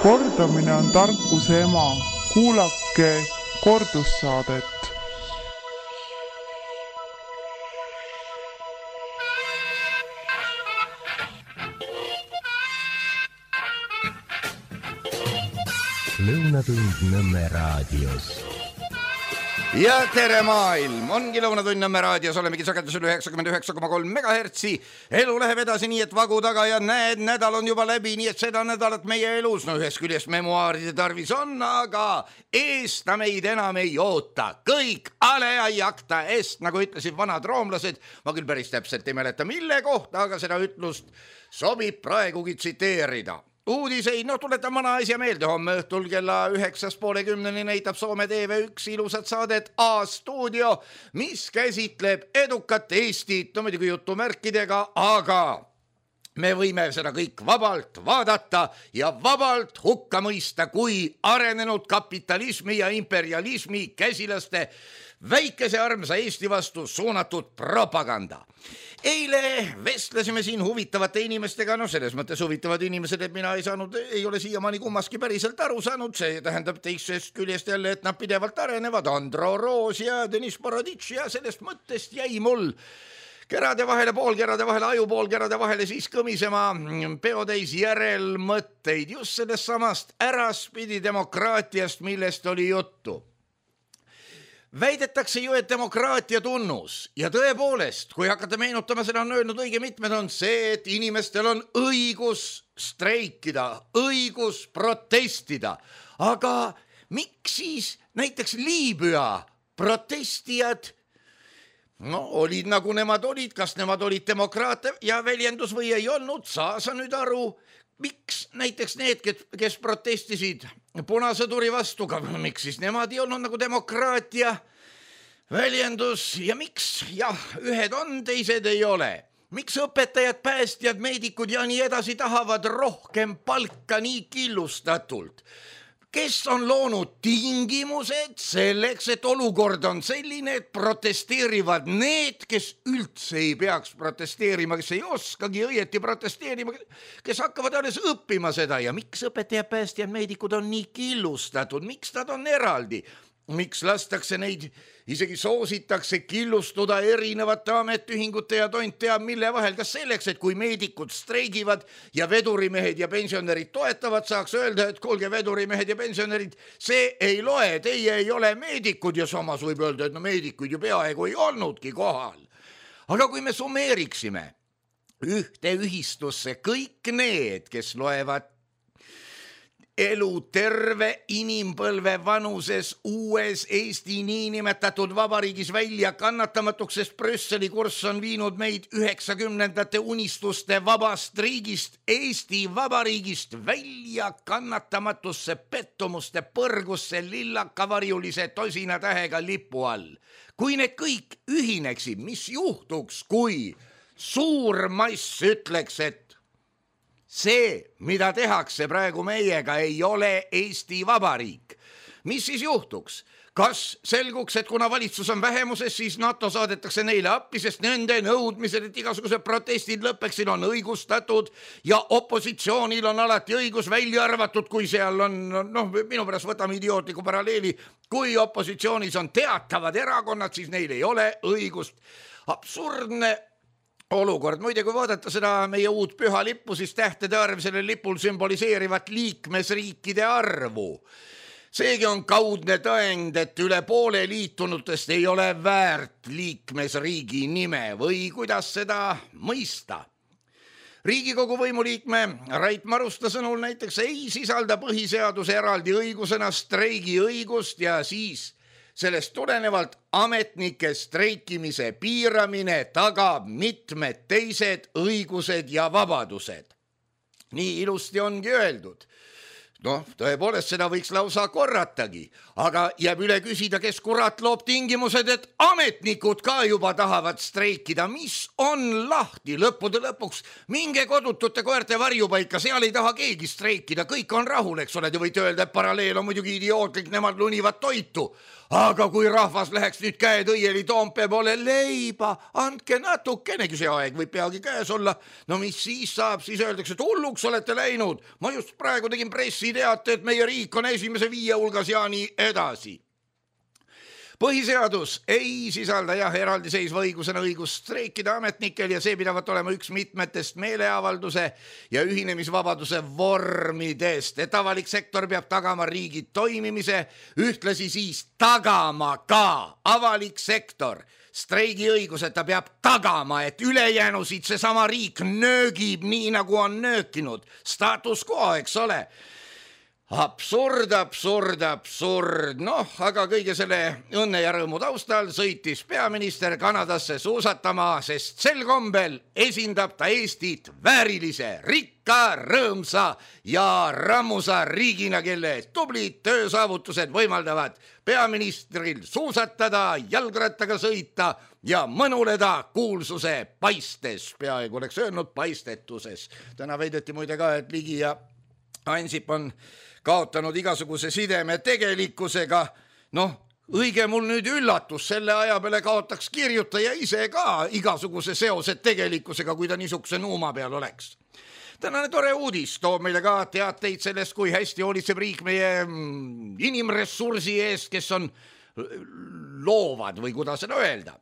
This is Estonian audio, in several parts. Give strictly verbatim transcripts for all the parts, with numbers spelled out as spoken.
Kordamine on tarkuse ema. Kuulake kordussaadet. Lõunatund Nõmme raadios. Ja tere maailm, ongi Lõunatund Nõmme raadios, olemegi sagedusel üheksakümmend üheksa koma kolm megahertsi. Elu läheb edasi nii, et vagu taga ja näed, nädal on juba läbi, nii et seda nädalat meie elus, no ühest küljest memuaaride tarvis on, aga eest ta meid enam ei oota. Kõik ale ei akta eest, nagu ütlesid vanad roomlased. Ma küll päris täpselt ei mäleta mille kohta, aga seda ütlust sobib praegugi tsiteerida. Uudiseid, no tuletan vana asja meelde, homme õhtul kella üheksast poole kümneni näitab Soome T V üks ilusat saadet A-stuudio, mis käsitleb edukat Eestit, no muidugi jutumärkidega, aga me võime seda kõik vabalt vaadata ja vabalt hukka mõista kui arenenud kapitalismi ja imperialismi käsilaste väikese armsa Eesti vastu suunatud propaganda. Eile vestlesime siin huvitavate inimestega, no selles mõttes huvitavad inimesed, et mina ei saanud, ei ole siiamaani kummaski päriselt aru saanud, see tähendab teisest küljest jälle, et nad pidevalt arenevad, Andro Roos ja Deniss Boroditš ja sellest mõttest jäi mul kerade vahele, poolkerade vahele, aju poolkerade vahele siis kõmisema peotäis järelmõtteid just sellest samast äraspidi demokraatiast, millest oli juttu. Väidetakse ju, et demokraatia tunnus ja tõepoolest, kui hakata meenutama, seda on öelnud õige mitmed, on see, et inimestel on õigus streikida, õigus protestida. Aga miks siis näiteks Liibüa protestijad, no olid nagu nemad olid, kas nemad olid demokraate ja väljendus või ei olnud, saa sa nüüd aru, miks näiteks need, kes protestisid punasõduri vastu, miks siis nemad ei olnud nagu demokraatia väljendus ja miks, jah, ühed on, teised ei ole. Miks õpetajad, päästjad, meedikud ja nii edasi tahavad rohkem palka nii killustatult? Kes on loonud tingimused selleks, et olukord on selline, et protesteerivad need, kes üldse ei peaks protesteerima, kes ei oskagi õieti protesteerima, kes hakkavad alles õppima seda ja miks õpetajad, päästjad, meedikud on nii killustatud, miks nad on eraldi? Miks lastakse neid, isegi soositakse killustuda erinevate ametiühingute ja tont teab mille vahel, kas selleks, et kui meedikud streigivad ja vedurimehed ja pensionärid toetavad, saaks öelda, et kuulge vedurimehed ja pensionärid, see ei loe, teie ei ole meedikud ja samas võib öelda, et no meedikuid ju peaaegu ei olnudki kohal. Aga kui me summeeriksime ühte ühistusse kõik need, kes loevad elu terve inimpõlve vanuses uues Eesti niinimetatud vabariigis välja kannatamatuks, sest Brüsseli kurss on viinud meid üheksakümnendate unistuste vabast riigist, Eesti vabariigist välja kannatamatusse pettumuste põrgusse lillakavarjulise tosina tähega lipu all. Kui need kõik ühineksid, mis juhtuks, kui suur mass ütleks, et see, mida tehakse praegu meiega, ei ole Eesti Vabariik. Mis siis juhtuks? Kas selguks, et kuna valitsus on vähemuses, siis NATO saadetakse neile appi, sest nende nõudmised, et igasugused protestid lõppeksid, on õigustatud ja opositsioonil on alati õigus välja arvatud, kui seal on, noh, minu pärast võtame idiootliku paralleeli, kui opositsioonis on teatavad erakonnad, siis neil ei ole õigust. Absurdne olukord. Muide, kui vaadata seda meie uut püha lippu, siis tähtede arv sellel lipul sümboliseerivat liikmesriikide arvu. Seegi on kaudne tõend, et üle poole liitunutest ei ole väärt liikmesriigi nime või kuidas seda mõista. Riigikogu võimuliikme Rait Marusta sõnul näiteks ei sisalda põhiseaduse eraldi õigusena streigi õigust ja siis sellest tulenevalt ametnike streikimise piiramine tagab mitmed teised õigused ja vabadused. Nii ilusti ongi öeldud. Noh, tõepoolest seda võiks lausa korratagi, aga jääb üle küsida, kes kurat loob tingimused, et ametnikud ka juba tahavad streikida. Mis on lahti lõppude lõpuks? Minge kodutute koerte varjupaika, seal ei taha keegi streikida, kõik on rahul, eks ole, te võite öelda, et paralleel on muidugi idiootlik, nemad lunivad toitu. Aga kui rahvas läheks nüüd käed õieli Toompea poole leiba, andke natukenegi, see aeg võib peagi käes olla. No mis siis saab, siis öeldakse, et hulluks olete läinud. Ma just praegu tegin pressi hästi teate, et meie riik on esimese viie hulgas ja nii edasi. Põhiseadus ei sisalda jah eraldiseisva õigusena õigust streikida ametnikel ja see pidavat olema üks mitmetest meeleavalduse ja ühinemisvabaduse vormidest, et avalik sektor peab tagama riigi toimimise, ühtlasi siis tagama ka avalik sektor streigiõiguse, ta peab tagama, et ülejäänusid seesama riik nöögib nii nagu on nöökinud, status quo, eks ole. Absurd, absurd, absurd. Noh, aga kõige selle õnne ja rõõmu taustal sõitis peaminister Kanadasse suusatama, sest sel kombel esindab ta Eestit väärilise, rikka, rõõmsa ja rammusa riigina, kelle tublid töösaavutused võimaldavad peaministril suusatada, jalgrattaga sõita ja mõnuleda kuulsuse paistes, peaaegu oleks öelnud paistetuses. Täna veideti muide ka, et Ligi ja Ansip on kaotanud igasuguse sideme tegelikkusega. Noh, õige mul nüüd üllatus, selle aja peale kaotaks kirjutaja ise ka igasuguse seosed tegelikkusega, kui ta niisuguse nuuma peal oleks. Tänane tore uudis toob meile ka teateid sellest, kui hästi hoolitseb riik meie inimressursi eest, kes on loovad või kuidas seda öelda.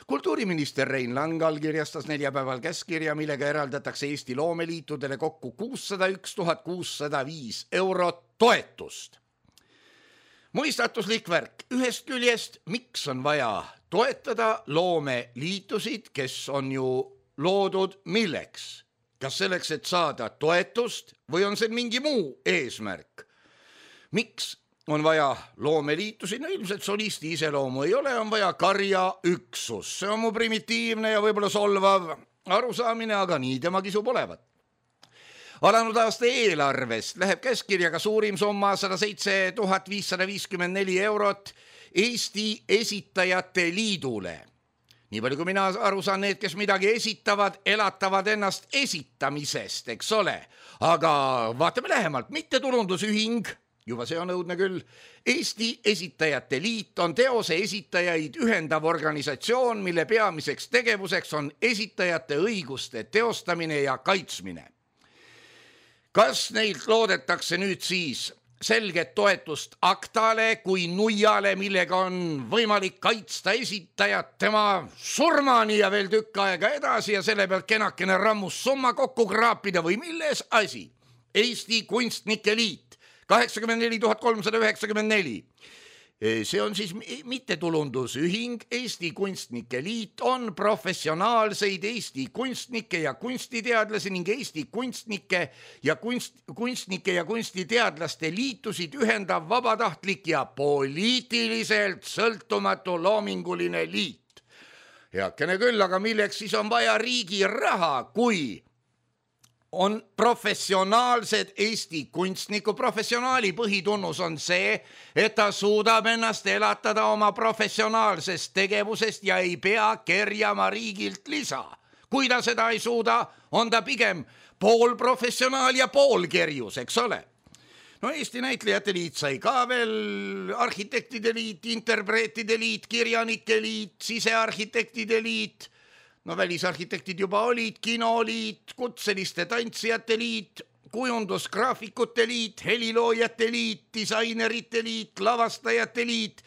Kultuuriminister Rein Lang allkirjastas neljapäeval käskkirja, millega eraldatakse Eesti loomeliitudele kokku kuussada üks tuhat kuussada viis eurot toetust. Mõistatuslik värk. Ühest küljest, miks on vaja toetada loomeliitusid, kes on ju loodud milleks? Kas selleks, et saada toetust või on see mingi muu eesmärk? Miks on vaja loomeliitusi? No ilmselt solisti iseloomu ei ole, on vaja karja üksus. See on mu primitiivne ja võib-olla solvav arusaamine, aga nii tema kisub olevat. Alanud aasta eelarvest läheb käskkirjaga suurim summa sada seitse tuhat viissada viiskümmend neli eurot Eesti Esitajate Liidule. Nii palju kui mina aru saan, need, kes midagi esitavad, elatavad ennast esitamisest, eks ole. Aga vaatame lähemalt, mittetulundusühing, juba see on õudne küll. Eesti Esitajate Liit on teose esitajaid ühendav organisatsioon, mille peamiseks tegevuseks on esitajate õiguste teostamine ja kaitsmine. Kas neilt loodetakse nüüd siis selget toetust aktale kui nuiale, millega on võimalik kaitsta esitajat tema surmani ja veel tükk aega edasi ja selle pealt kenakene rammus summa kokku kraapida või milles asi? Eesti Kunstnike Liit, kaheksakümmend neli tuhat kolmsada üheksakümmend neli. See on siis mittetulundusühing. Eesti Kunstnike Liit on professionaalseid Eesti kunstnike ja kunstiteadlasi ning Eesti kunstnike ja kunst, kunstnike ja kunstiteadlaste liitusid ühendav vabatahtlik ja poliitiliselt sõltumatu loominguline liit. Heakene küll, aga milleks siis on vaja riigi raha, kui on professionaalsed Eesti kunstniku. Professionaali põhitunnus on see, et ta suudab ennast elatada oma professionaalsest tegevusest ja ei pea kerjama riigilt lisa. Kui ta seda ei suuda, on ta pigem pool professionaal ja pool kerjus, eks ole. No Eesti Näitlejate Liit sai ka veel, arhitektide liit, interpreetide liit, kirjanike liit, sisearhitektide liit. No välisarhitektid juba olid, kinoliit, kutseliste tantsijate liit, kujundusgraafikute liit, heliloojate liit, disainerite liit, lavastajate liit,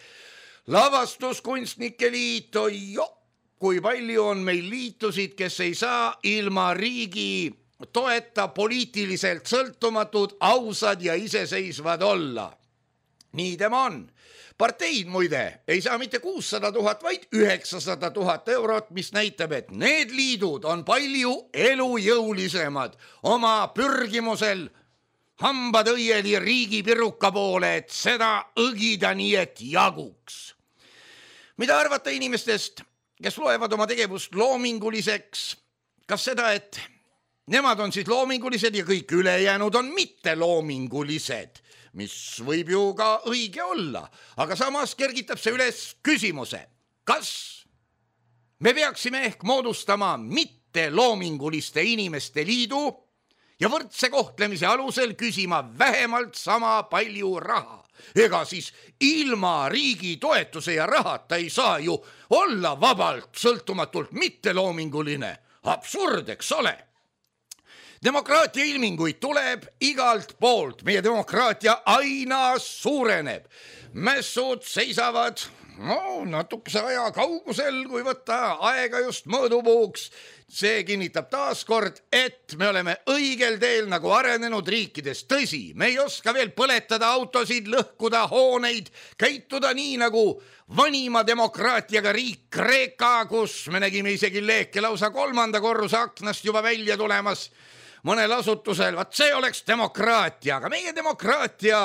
lavastuskunstnike liit. Ojo, kui palju on meil liitusid, kes ei saa ilma riigi toeta poliitiliselt sõltumatud, ausad ja iseseisvad olla. Nii tema on. Parteid muide ei saa mitte kuussada tuhat, vaid üheksasada tuhat eurot, mis näitab, et need liidud on palju elujõulisemad oma pürgimusel hambad õieli riigi piruka poole, et seda õgida nii, et jaguks. Mida arvata inimestest, kes loevad oma tegevust loominguliseks? Kas seda, et nemad on siis loomingulised ja kõik ülejäänud on mitte loomingulised? Mis võib ju ka õige olla, aga samas kergitab see üles küsimuse. Kas me peaksime ehk moodustama mitte loominguliste inimeste liidu ja võrdse kohtlemise alusel küsima vähemalt sama palju raha? Ega siis ilma riigi toetuse ja rahata ei saa ju olla vabalt sõltumatult mitte loominguline. Absurd, eks ole? demokraatia ilminguid tuleb igalt poolt, meie demokraatia aina suureneb. Mässud seisavad no, natukese aja kaugusel, kui võtta aega just mõõdupuuks. See kinnitab taaskord, et me oleme õigel teel nagu arenenud riikides. Tõsi, me ei oska veel põletada autosid, lõhkuda hooneid, käituda nii nagu vanima demokraatiaga riik Kreeka, kus me nägime isegi leeke lausa kolmanda korruse aknast juba välja tulemas mõnel asutusel. Vaat see oleks demokraatia, aga meie demokraatia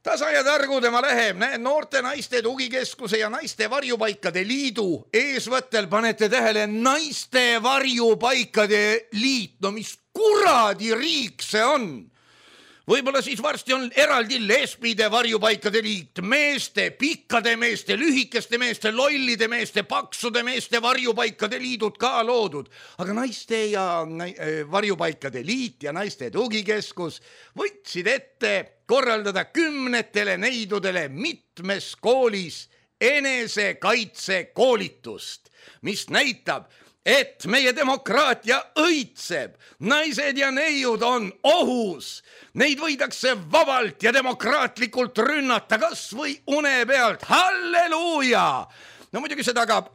tasa ja targu tema läheb, näed, noorte naiste tugikeskuse ja naiste varjupaikade liidu eesvõttel, panete tähele, naiste varjupaikade liit, no mis kuradi riik see on? Võib-olla siis varsti on eraldi lesbide varjupaikade liit, meeste, pikkade meeste, lühikeste meeste, lollide meeste, paksude meeste varjupaikade liidud ka loodud. Aga naiste ja varjupaikade liit ja naiste tugikeskus võtsid ette korraldada kümnetele neidudele mitmes koolis enesekaitse koolitust, mis näitab, et meie demokraatia õitseb, naised ja neiud on ohus, neid võidakse vabalt ja demokraatlikult rünnata kas või une pealt. Halleluuja! No muidugi see tagab,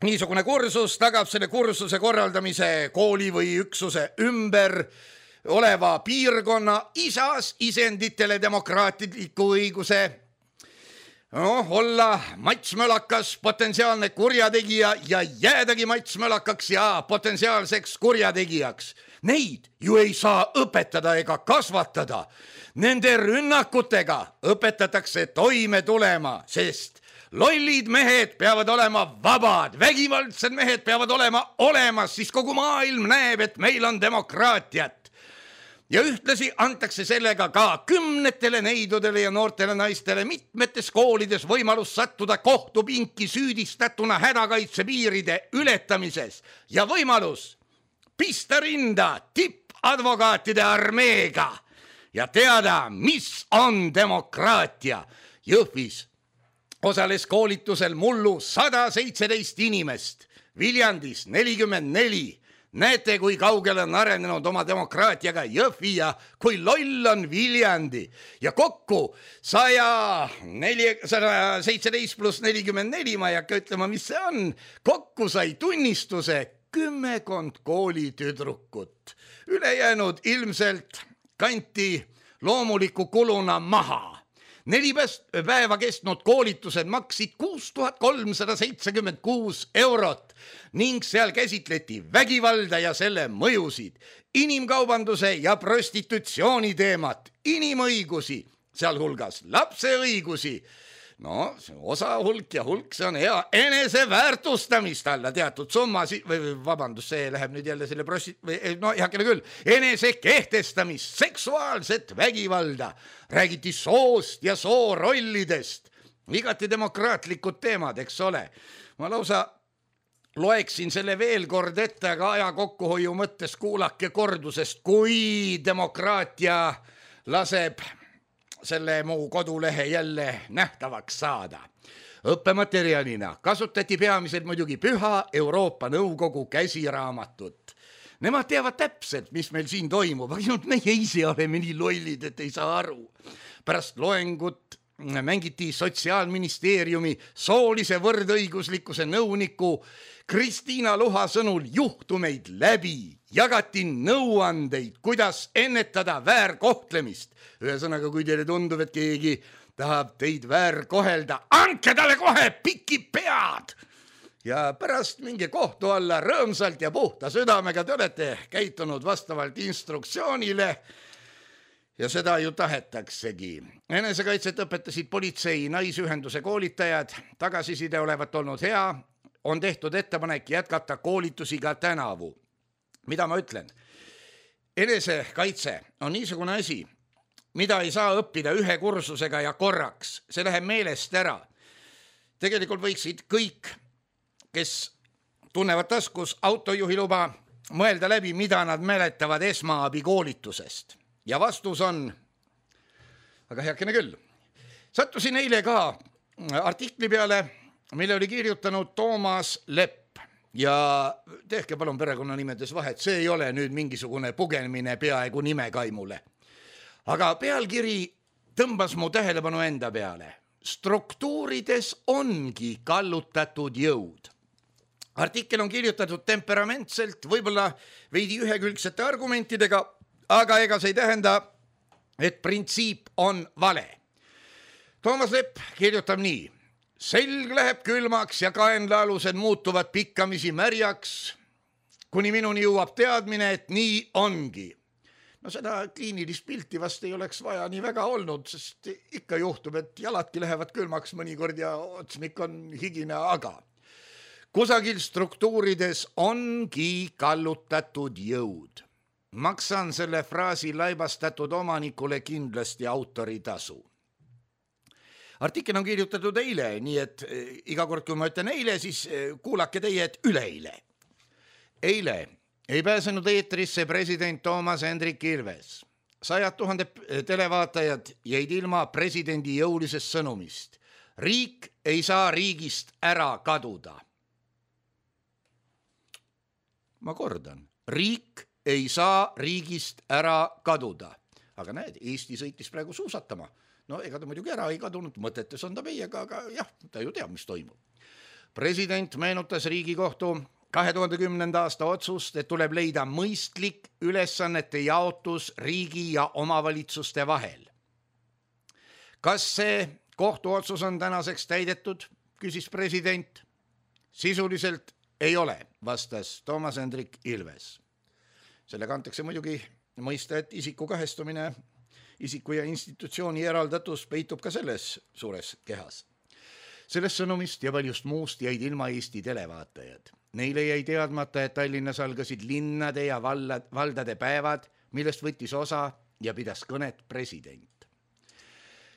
niisugune kursus tagab selle kursuse korraldamise kooli või üksuse ümber oleva piirkonna isas isenditele demokraatliku õiguse no, olla matsmölakas potentsiaalne kurjategija ja jäädagi matsmölakaks ja potentsiaalseks kurjategijaks. Neid ju ei saa õpetada ega kasvatada. Nende rünnakutega õpetatakse toime tulema, sest lollid mehed peavad olema vabad, vägivaldsed mehed peavad olema olemas, siis kogu maailm näeb, et meil on demokraatiat. Ja ühtlasi antakse sellega ka kümnetele neidudele ja noortele naistele mitmetes koolides võimalus sattuda kohtupinki süüdistatuna hädakaitse piiride ületamises ja võimalus pista rinda tippadvokaatide armeega ja teada, mis on demokraatia. Jõhvis osales koolitusel mullu sada seitseteist inimest, Viljandis nelikümmend neli. Näete, kui kaugele on arenenud oma demokraatiaga Jõhvi ja kui loll on Viljandi. Ja kokku sada seitseteist pluss nelikümmend neli, ma ei hakka ütlema, mis see on. Kokku sai tunnistuse kümmekond koolitüdrukut. Ülejäänud ilmselt kanti loomuliku kuluna maha. Neli päeva kestnud koolitused maksid kuus tuhat kolmsada seitsekümmend kuus eurot ning seal käsitleti vägivalda ja selle mõjusid, inimkaubanduse ja prostitutsiooni teemat, inimõigusi, sealhulgas lapse õigusi. No, osa hulk ja hulk, see on hea eneseväärtustamist alla teatud summa, või vabandust, see läheb nüüd jälle selle prosti-, no heakene küll, enese kehtestamist, seksuaalset vägivalda, räägiti soost ja soorollidest, igati demokraatlikud teemad, eks ole. Ma lausa loeksin selle veel kord ette, aga aja kokkuhoiu mõttes kuulake kordusest, kui demokraatia laseb selle muu kodulehe jälle nähtavaks saada. Õppematerjalina kasutati peamiselt muidugi Püha Euroopa Nõukogu käsiraamatut. Nemad teavad täpselt, mis meil siin toimub, aga meie ise oleme nii lollid, et ei saa aru. Pärast loengut mängiti Sotsiaalministeeriumi soolise võrdõiguslikkuse nõuniku Kristiina Luha sõnul juhtumeid läbi, jagati nõuandeid, kuidas ennetada väärkohtlemist. Ühesõnaga, kui teile tundub, et keegi tahab teid väärkohelda, andke talle kohe piki pead! Ja pärast minge kohtu alla rõõmsalt ja puhta südamega, te olete käitunud vastavalt instruktsioonile ja seda ju tahetaksegi. Enesekaitset õpetasid politsei naisühenduse koolitajad, tagasiside olevat olnud hea, on tehtud ettepanek jätkata koolitusi ka tänavu. Mida ma ütlen? Enesekaitse on niisugune asi, mida ei saa õppida ühe kursusega ja korraks. See läheb meelest ära. Tegelikult võiksid kõik, kes tunnevad taskus autojuhiluba, mõelda läbi, mida nad mäletavad esmaabikoolitusest. Ja vastus on, aga heakene küll, sattusin eile ka artikli peale, mille oli kirjutanud Toomas Lepp. ja tehke palun perekonnanimedes vahet, see ei ole nüüd mingisugune pugenemine peaaegu nimekaimule. Aga pealkiri tõmbas mu tähelepanu enda peale. Struktuurides ongi kallutatud jõud. Artikkel on kirjutatud temperamentselt, võib-olla veidi ühekülgsete argumentidega, aga ega see ei tähenda, et printsiip on vale. Toomas Lepp kirjutab nii. Selg läheb külmaks ja kaenlaalused muutuvad pikkamisi märjaks, kuni minuni jõuab teadmine, et nii ongi. No seda kliinilist pilti vast ei oleks vaja nii väga olnud, sest ikka juhtub, et jaladki lähevad külmaks mõnikord ja otsmik on higine, aga kusagil struktuurides ongi kallutatud jõud. Maksan selle fraasi laibastatud omanikule kindlasti autoritasu. Artikkel on kirjutatud eile, nii et iga kord, kui ma ütlen eile, siis kuulake teie, et üleeile. Eile ei pääsenud eetrisse president Toomas Hendrik Ilves. Sajad tuhanded televaatajad jäid ilma presidendi jõulisest sõnumist. Riik ei saa riigist ära kaduda. Ma kordan, riik ei saa riigist ära kaduda. Aga näed, Eesti sõitis praegu suusatama. No ega ta muidugi ära ei kadunud, mõtetes on ta meiega, aga jah, ta ju teab, mis toimub. President meenutas Riigikohtu kahe tuhande kümnenda aasta otsust, et tuleb leida mõistlik ülesannete jaotus riigi ja omavalitsuste vahel. Kas see kohtuotsus on tänaseks täidetud, küsis president. Sisuliselt ei ole, vastas Toomas Hendrik Ilves. Selle kantakse muidugi mõista, et isiku kahestumine, isiku ja institutsiooni eraldatus peitub ka selles suures kehas. Sellest sõnumist ja paljust muust jäid ilma Eesti televaatajad. Neile jäi teadmata, et Tallinnas algasid linnade ja valdade päevad, millest võttis osa ja pidas kõnet president.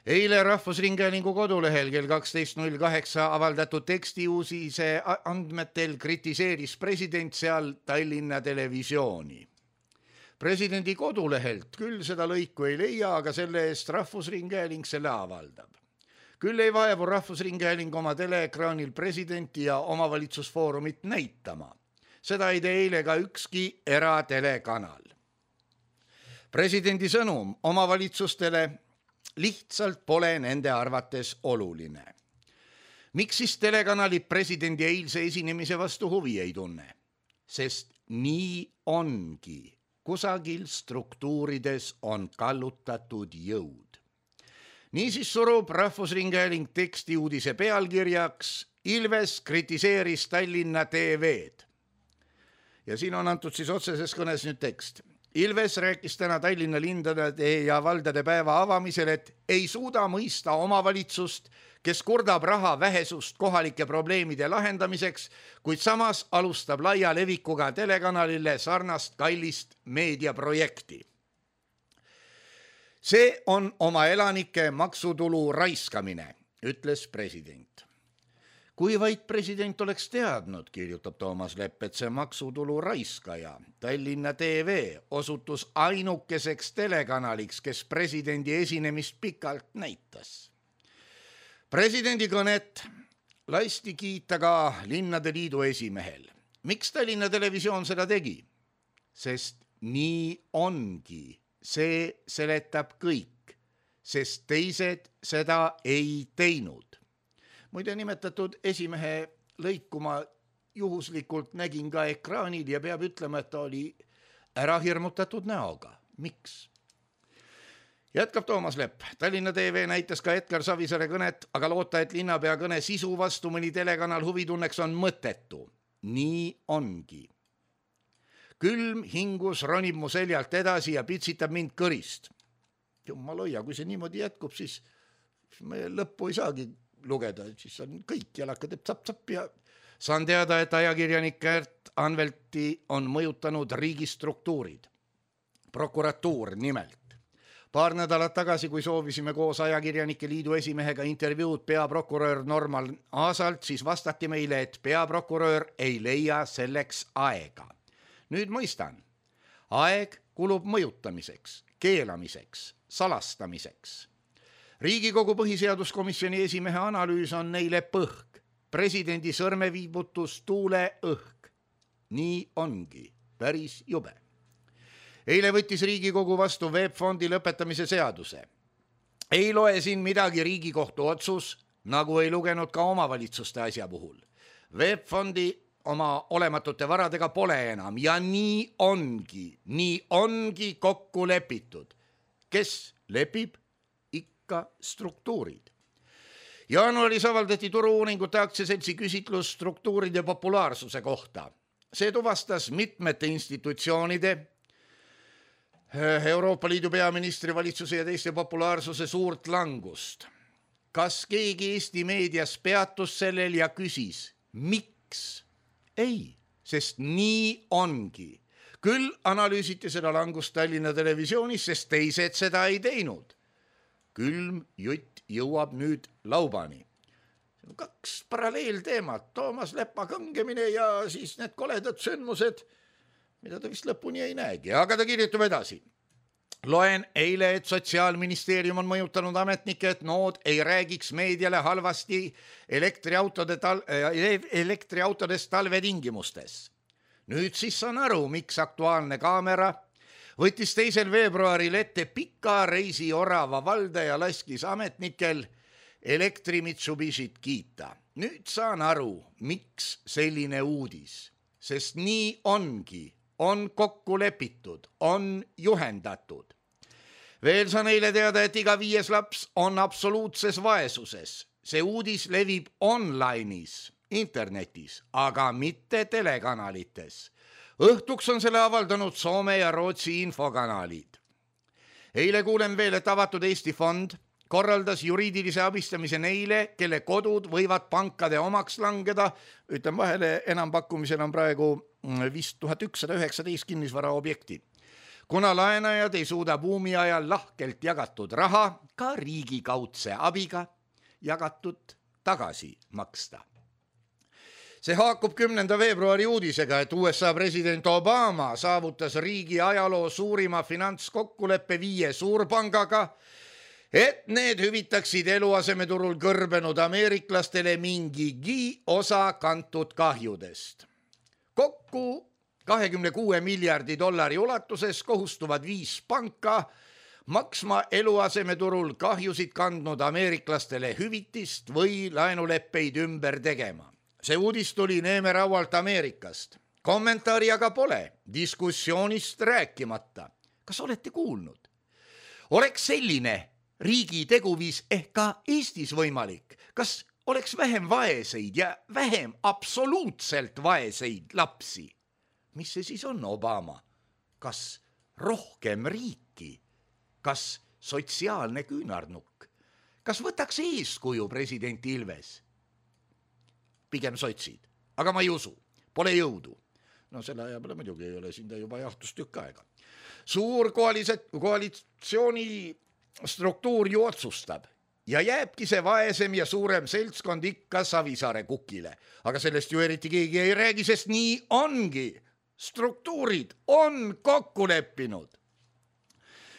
Eile Rahvusringhäälingu kodulehel kell kaksteist null kaheksa avaldatud tekstiuusise andmetel kritiseeris president seal Tallinna televisiooni. Presidendi kodulehelt küll seda lõiku ei leia, aga selle eest Rahvusringhääling selle avaldab. Küll ei vaevu Rahvusringhääling oma teleekraanil presidenti ja omavalitsusfoorumit näitama. Seda ei tee eile ka ükski eratelekanal. Presidendi sõnum omavalitsustele lihtsalt pole nende arvates oluline. Miks siis telekanalid presidendi eilse esinemise vastu huvi ei tunne? Sest nii ongi. Kusagil struktuurides on kallutatud jõud. Niisiis surub Rahvusringhääling teksti uudise pealkirjaks Ilves kritiseeris Tallinna T V-d. Ja siin on antud siis otseses kõnes nüüd tekst. Ilves rääkis täna Tallinna lindade ja valdade päeva avamisel, et ei suuda mõista omavalitsust, kes kurdab raha vähesust kohalike probleemide lahendamiseks, kuid samas alustab laia levikuga telekanalile sarnast kallist meediaprojekti. See on oma elanike maksutulu raiskamine, ütles president. Kui vaid president oleks teadnud, kirjutab Toomas Lepp, et see maksutulu raiskaja, Tallinna T V, osutus ainukeseks telekanaliks, kes presidendi esinemist pikalt näitas. Presidendi kõnet lasti kiita ka Linnade Liidu esimehel. Miks Tallinna Televisioon seda tegi? Sest nii ongi. See seletab kõik, sest teised seda ei teinud. Muide nimetatud esimehe lõiku ma juhuslikult nägin ka ekraanil ja peab ütlema, et ta oli ära hirmutatud näoga. Miks? Jätkab Toomas Lepp. Tallinna T V näitas ka Edgar Savisaare kõnet, aga loota, et linnapea kõne sisu vastu mõni telekanal huvi tunneks on mõttetu. Nii ongi. Külm hingus ronib mu seljalt edasi ja pitsitab mind kõrist. Jumal hoia, kui see niimoodi jätkub, siis me lõppu ei saagi lugeda, siis on kõik jalaka teeb tsap-tsap ja saan teada, et ajakirjanik Kärt Anvelti on mõjutanud riigistruktuurid. Prokuratuur nimelt. Paar nädalat tagasi, kui soovisime koos ajakirjanike liidu esimehega intervjuud peaprokurör Norman Aasalt, siis vastati meile, et peaprokurör ei leia selleks aega. Nüüd mõistan. Aeg kulub mõjutamiseks, keelamiseks, salastamiseks. Riigikogu põhiseaduskomisjoni esimehe analüüs on neile põhk. Presidendi sõrmeviibutus tuule õhk. nii ongi, päris jube. Eile võttis Riigikogu vastu veebfondi lõpetamise seaduse. Ei loe siin midagi Riigikohtu otsus, nagu ei lugenud ka omavalitsuste asja puhul. Veebfondi oma olematute varadega pole enam ja nii ongi, nii ongi kokku lepitud. Kes lepib? Ikka struktuurid. Jaanuaris avaldati Turu-uuringute aktsiaseltsi küsitlus struktuuride populaarsuse kohta. See tuvastas mitmete institutsioonide, Euroopa Liidu peaministri, valitsuse ja teiste populaarsuse suurt langust. Kas keegi Eesti meedias peatus sellel ja küsis, miks? Ei, sest nii ongi. Küll analüüsiti seda langust Tallinna televisioonis, sest teised seda ei teinud. Külm jutt jõuab nüüd laubani. Kaks paralleelteemat, Toomas Leppa kangemine ja siis need koledad sündmused, mida ta vist lõpuni ei näegi, aga ta kirjutab edasi. Loen eile, et Sotsiaalministeerium on mõjutanud ametnikke, et nood ei räägiks meediale halvasti elektriautode tal- elektriautodest talvetingimustes. Nüüd siis saan aru, miks Aktuaalne kaamera võttis teisel veebruaril ette pika reisi Orava valda ja laskis ametnikel elektri Mitsubishit kiita. Nüüd saan aru, miks selline uudis, sest nii ongi, on kokku lepitud, on juhendatud. Veel saan eile teada, et iga viies laps on absoluutses vaesuses. See uudis levib online'is, internetis, aga mitte telekanalites. Õhtuks on selle avaldanud Soome ja Rootsi infokanalid. Eile kuulen veel, et avatud Eesti fond korraldas juriidilise abistamise neile, kelle kodud võivad pankade omaks langeda. Ütlen vahele, enampakkumisel on praegu viis tuhat ükssada üheksateist kinnisvara objekti. Kuna laenajad ei suuda buumi ajal lahkelt jagatud raha ka riigikaudse abiga jagatud tagasi maksta. See haakub kümnenda veebruari uudisega, et U S A president Obama saavutas riigi ajaloo suurima finantskokkuleppe viie suurpangaga, et need hüvitaksid eluasemeturul kõrbenud ameeriklastele mingigi osa kantud kahjudest. Kokku kahekümne kuue miljardi dollari ulatuses kohustuvad viis panka maksma eluasemeturul kahjusid kandnud ameeriklastele hüvitist või laenuleppeid ümber tegema. See uudis tuli neemeraualt Ameerikast. Kommentaari aga pole, diskussioonist rääkimata. Kas olete kuulnud? Oleks selline riigi teguviis ehk ka Eestis võimalik? Kas oleks vähem vaeseid ja vähem absoluutselt vaeseid lapsi? Mis see siis on, Obama? Kas rohkem riiki? Kas sotsiaalne küünarnukk? Kas võtaks eeskuju president Ilves? Pigem sotsid, aga ma ei usu, pole jõudu. No selle aja peale muidugi ei ole, siin ta juba jahtus tükk aega. Suur koalitsiooni struktuur ju otsustab ja jääbki see vaesem ja suurem seltskond ikka Savisaare kukile. Aga sellest ju eriti keegi ei räägi, sest nii ongi. Struktuurid on kokku leppinud.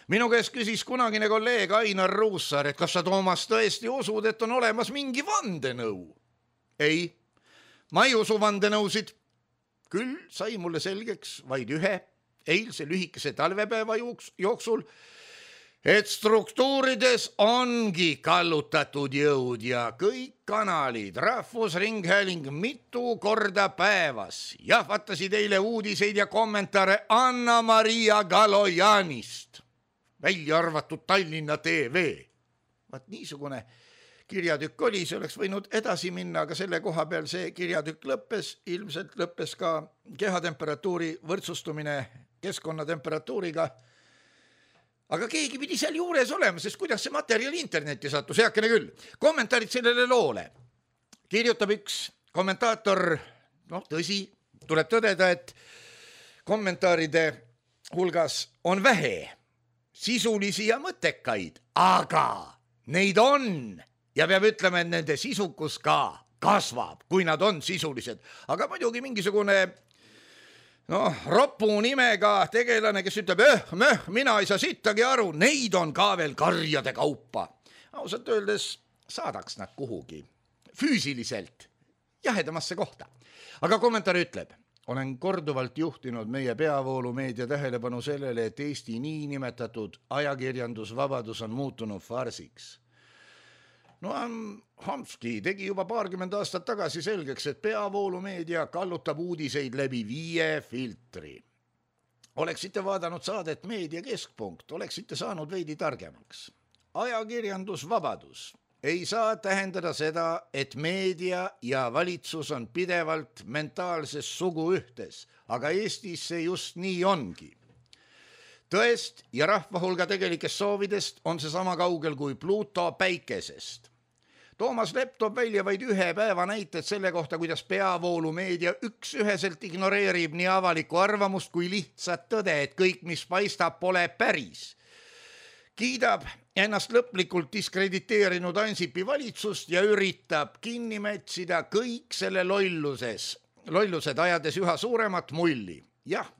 Minu käest küsis kunagine kolleeg Ainar Ruussaar, et kas sa, Toomas, tõesti usud, et on olemas mingi vandenõu? Ei, ma ei usu vandenõusid. Küll sai mulle selgeks vaid ühe eilse lühikese talvepäeva jooksul, et struktuurides ongi kallutatud jõud ja kõik kanalid, Rahvusringhääling mitu korda päevas jahvatasid eile uudiseid ja kommentaare Anna-Maria Galojanist, välja arvatud Tallinna T V. Vaat niisugune kirjatükk oli, see oleks võinud edasi minna, aga selle koha peal see kirjatükk lõppes, ilmselt lõppes ka kehatemperatuuri võrdsustumine keskkonnatemperatuuriga. Aga keegi pidi seal juures olema, sest kuidas see materjal internetti sattus, heakene küll. Kommentaarid sellele loole. Kirjutab üks kommentaator, noh tõsi, tuleb tõdeda, et kommentaaride hulgas on vähe sisulisi ja mõttekaid, aga neid on ja peab ütlema, et nende sisukus ka kasvab, kui nad on sisulised. Aga muidugi mingisugune noh, ropu nimega tegelane, kes ütleb, eh, meh, mina ei saa sittagi aru, neid on ka veel karjade kaupa. Ausalt öeldes saadaks nad kuhugi füüsiliselt jahedamasse kohta. Aga kommentaar ütleb, olen korduvalt juhtinud meie peavoolumeedia tähelepanu sellele, et Eesti niinimetatud ajakirjandusvabadus on muutunud farsiks. Noam Chomsky tegi juba paarkümmend aastat tagasi selgeks, et peavoolumeedia kallutab uudiseid läbi viie filtri. Oleksite vaadanud saadet Meedia Keskpunkt, oleksite saanud veidi targemaks. Ajakirjandusvabadus ei saa tähendada seda, et meedia ja valitsus on pidevalt mentaalses suguühtes, aga Eestis see just nii ongi. Tõest ja rahva hulga tegelikest soovidest on see sama kaugel kui Pluto päikesest. Toomas Lepp toob välja vaid ühe päeva näited selle kohta, kuidas peavoolumeedia üks üheselt ignoreerib nii avalikku arvamust kui lihtsat tõde, et kõik, mis paistab, pole päris. Kiidab ennast lõplikult diskrediteerinud Ansipi valitsust ja üritab kinni mätsida kõik selle lolluses, lollused ajades üha suuremat mulli. Jah,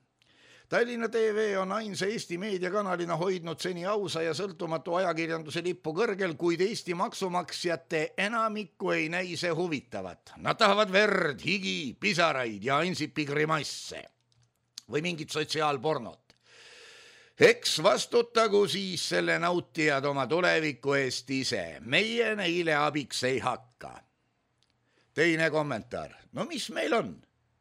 Tallinna T V on ainsa Eesti meediakanalina hoidnud seni ausa ja sõltumatu ajakirjanduse lippu kõrgel, kuid Eesti maksumaksjate enamikku ei näi see huvitavat. Nad tahavad verd, higi, pisaraid ja Ansipi grimasse või mingit sotsiaalpornot. Eks vastutagu siis selle nautijad oma tuleviku eest ise. Meie neile abiks ei hakka. Teine kommentaar. No mis meil on?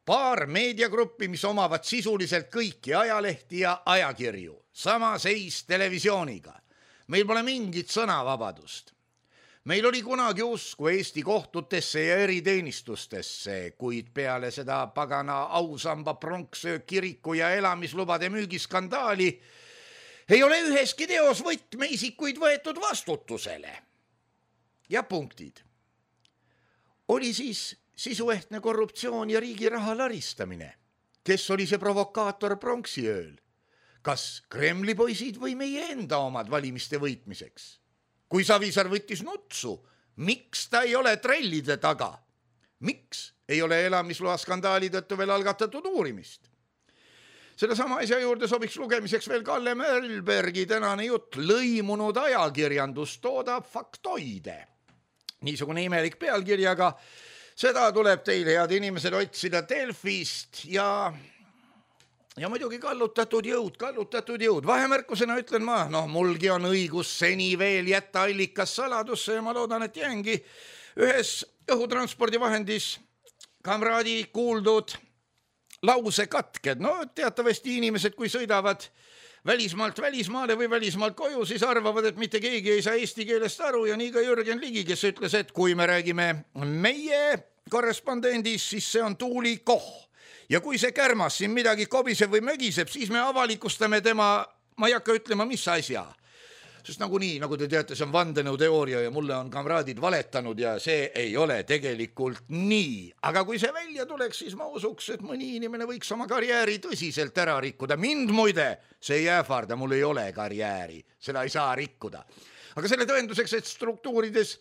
Paar meediagruppi, mis omavad sisuliselt kõiki ajalehti ja ajakirju. Sama seis televisiooniga. Meil pole mingit sõnavabadust. Meil oli kunagi usku Eesti kohtutesse ja eriteenistustesse, kuid peale seda pagana ausamba pronksöö kiriku ja elamislubade müügiskandaali ei ole üheski teos võtmeisikuid võetud vastutusele. Ja punktid. Oli siis sisuehtne korruptsioon ja riigi raha laristamine. Kes oli see provokaator pronksiööl? Kas Kremli poisid või meie enda omad valimiste võitmiseks? Kui Savisaar võttis nutsu, miks ta ei ole trellide taga? Miks ei ole elamisloa skandaali tõttu veel algatatud uurimist? Selle sama asja juurde sobiks lugemiseks veel Kalle Merlbergi tänane jutt. Lõimunud ajakirjandus toodab faktoide. Niisugune imelik pealkirjaga. Seda tuleb teil, head inimesed, otsida Delfist ja, ja muidugi kallutatud jõud, kallutatud jõud. Vahemärkusena ütlen ma, noh, mulgi on õigus seni veel jätta allikas saladusse ja ma loodan, et jäängi ühes õhutranspordivahendis kamraadi kuuldud lause katked. No teatavasti inimesed, kui sõidavad välismaalt välismaale või välismaalt koju, siis arvavad, et mitte keegi ei saa eesti keelest aru ja nii ka Jürgen Ligi, kes ütles, et kui me räägime meie korrespondendis, siis see on Tuuli Koh. Ja kui see kärmas siin midagi kobiseb või mögiseb, siis me avalikustame tema, ma ei hakka ütlema, mis asja. Sest nagu nii, nagu te teate, see on vandenõuteooria ja mulle on kamraadid valetanud ja see ei ole tegelikult nii. Aga kui see välja tuleks, siis ma usuks, et mõni inimene võiks oma karjääri tõsiselt ära rikkuda. Mind muide, see ei ähvarda, mul ei ole karjääri, seda ei saa rikkuda. Aga selle tõenduseks, et struktuurides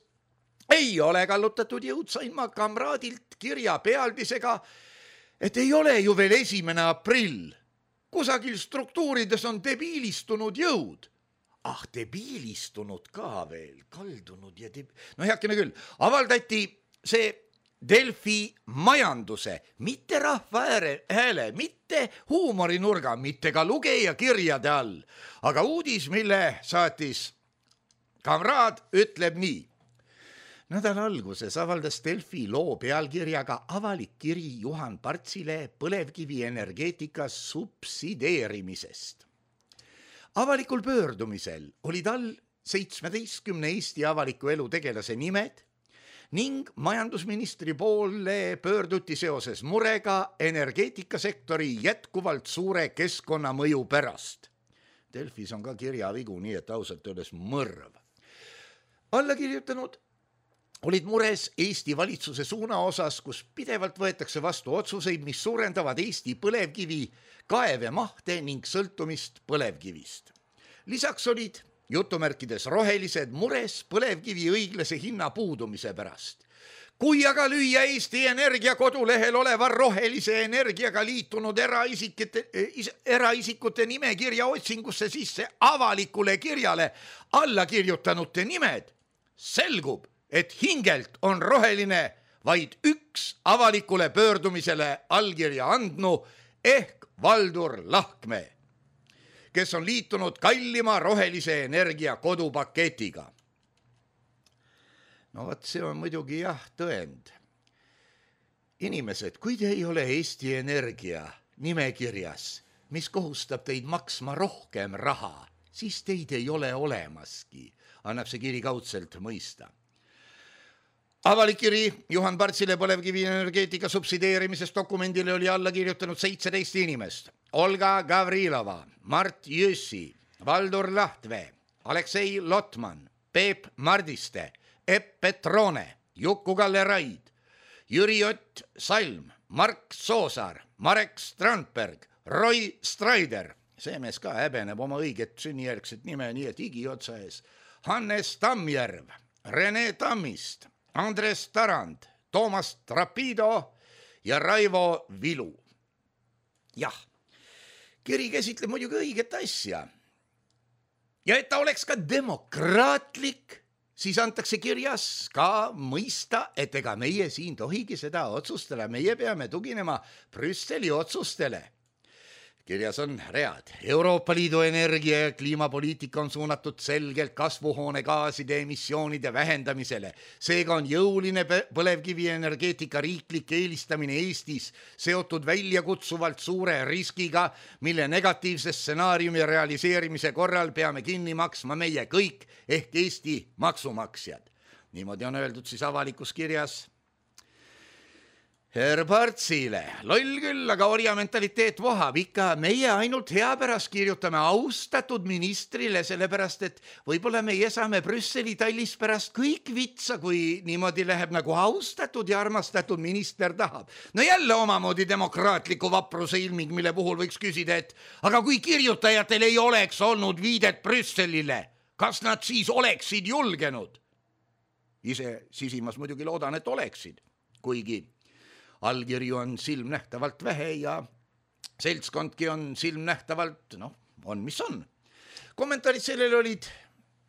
ei ole kallutatud jõud, sain ma kamraadilt kirja pealdisega, et ei ole ju veel esimene aprill. Kusagil struktuurides on debiilistunud jõud. Ah, debiilistunud ka veel, kaldunud ja deb... No heakene küll, avaldati see Delfi majanduse, mitte rahva hääle, mitte huumorinurga, mitte ka lugeja kirjade all. Aga uudis, mille saatis kamraad, ütleb nii. Nädala alguses avaldas Delfi loo pealkirjaga avalik kiri Juhan Partsile põlevkivi energeetika subsideerimisest. Avalikul pöördumisel olid all seitsmeteistkümne Eesti avaliku elu tegelase nimed ning majandusministri poole pöörduti seoses murega energeetikasektori jätkuvalt suure keskkonnamõju pärast. Delfis on ka kirjavigu, nii et ausalt öeldes mõrv. Alla kirjutanud olid mures Eesti valitsuse suuna osas, kus pidevalt võetakse vastu otsuseid, mis suurendavad Eesti põlevkivi kaevemahte ning sõltumist põlevkivist. Lisaks olid jutumärkides rohelised mures põlevkivi õiglase hinna puudumise pärast. Kui aga lüüa Eesti Energia kodulehel oleva rohelise energiaga liitunud eraisikute, eraisikute nimekirja otsingusse sisse avalikule kirjale alla kirjutanute nimed, selgub, et hingelt on roheline vaid üks avalikule pöördumisele allkirja andnu ehk Valdur Lahkmäe, kes on liitunud kallima rohelise energia kodupaketiga. No vot, see on muidugi jah tõend. Inimesed, kui te ei ole Eesti Energia nimekirjas, mis kohustab teid maksma rohkem raha, siis teid ei ole olemaski, annab see kiri kaudselt mõista. Avalik kiri Juhan Partsile põlevkivi energeetika subsideerimisest dokumendile oli alla kirjutanud seitseteist inimest. Olga Gavrilova, Mart Jüssi, Valdur Lahkmäe, Aleksei Lotman, Peep Mardiste, Epp Petrone, Juku-Kalle Raid, Jüri Ott Salm, Mark Soosaar, Marek Strandberg, Roy Strider, see mees ka häbeneb oma õiget sünnijärgset nime, nii et higi otsa ees, Hannes Tammjärv, Rene Tammist, Andres Tarand, Toomas Trapido ja Raivo Vilu. Jah, kiri käsitleb muidugi õiget asja. Ja et ta oleks ka demokraatlik, siis antakse kirjas ka mõista, et ega meie siin tohigi seda otsustele, meie peame tuginema Brüsseli otsustele. Kirjas on read. Euroopa Liidu energia- ja kliimapoliitika on suunatud selgelt kasvuhoonegaaside emissioonide vähendamisele. Seega on jõuline põlevkivi energeetika riiklik eelistamine Eestis seotud väljakutsuvalt suure riskiga, mille negatiivse stsenaariumi realiseerimise korral peame kinni maksma meie kõik ehk Eesti maksumaksjad. Niimoodi on öeldud siis avalikus kirjas Herr Partsile. Loll küll, aga orja mentaliteet vohab. Ikka meie ainult hea pärast kirjutame austatud ministrile, sellepärast et võib-olla meie saame Brüsseli tallis pärast kõik vitsa, kui niimoodi läheb nagu austatud ja armastatud minister tahab. No jälle omamoodi demokraatliku vapruse ilming, mille puhul võiks küsida, et aga kui kirjutajatel ei oleks olnud viidet Brüsselile, kas nad siis oleksid julgenud? Ise sisimas muidugi loodan, et oleksid, kuigi allkirju on silmnähtavalt vähe ja seltskondki on silmnähtavalt, noh, on mis on. Kommentaarid sellele olid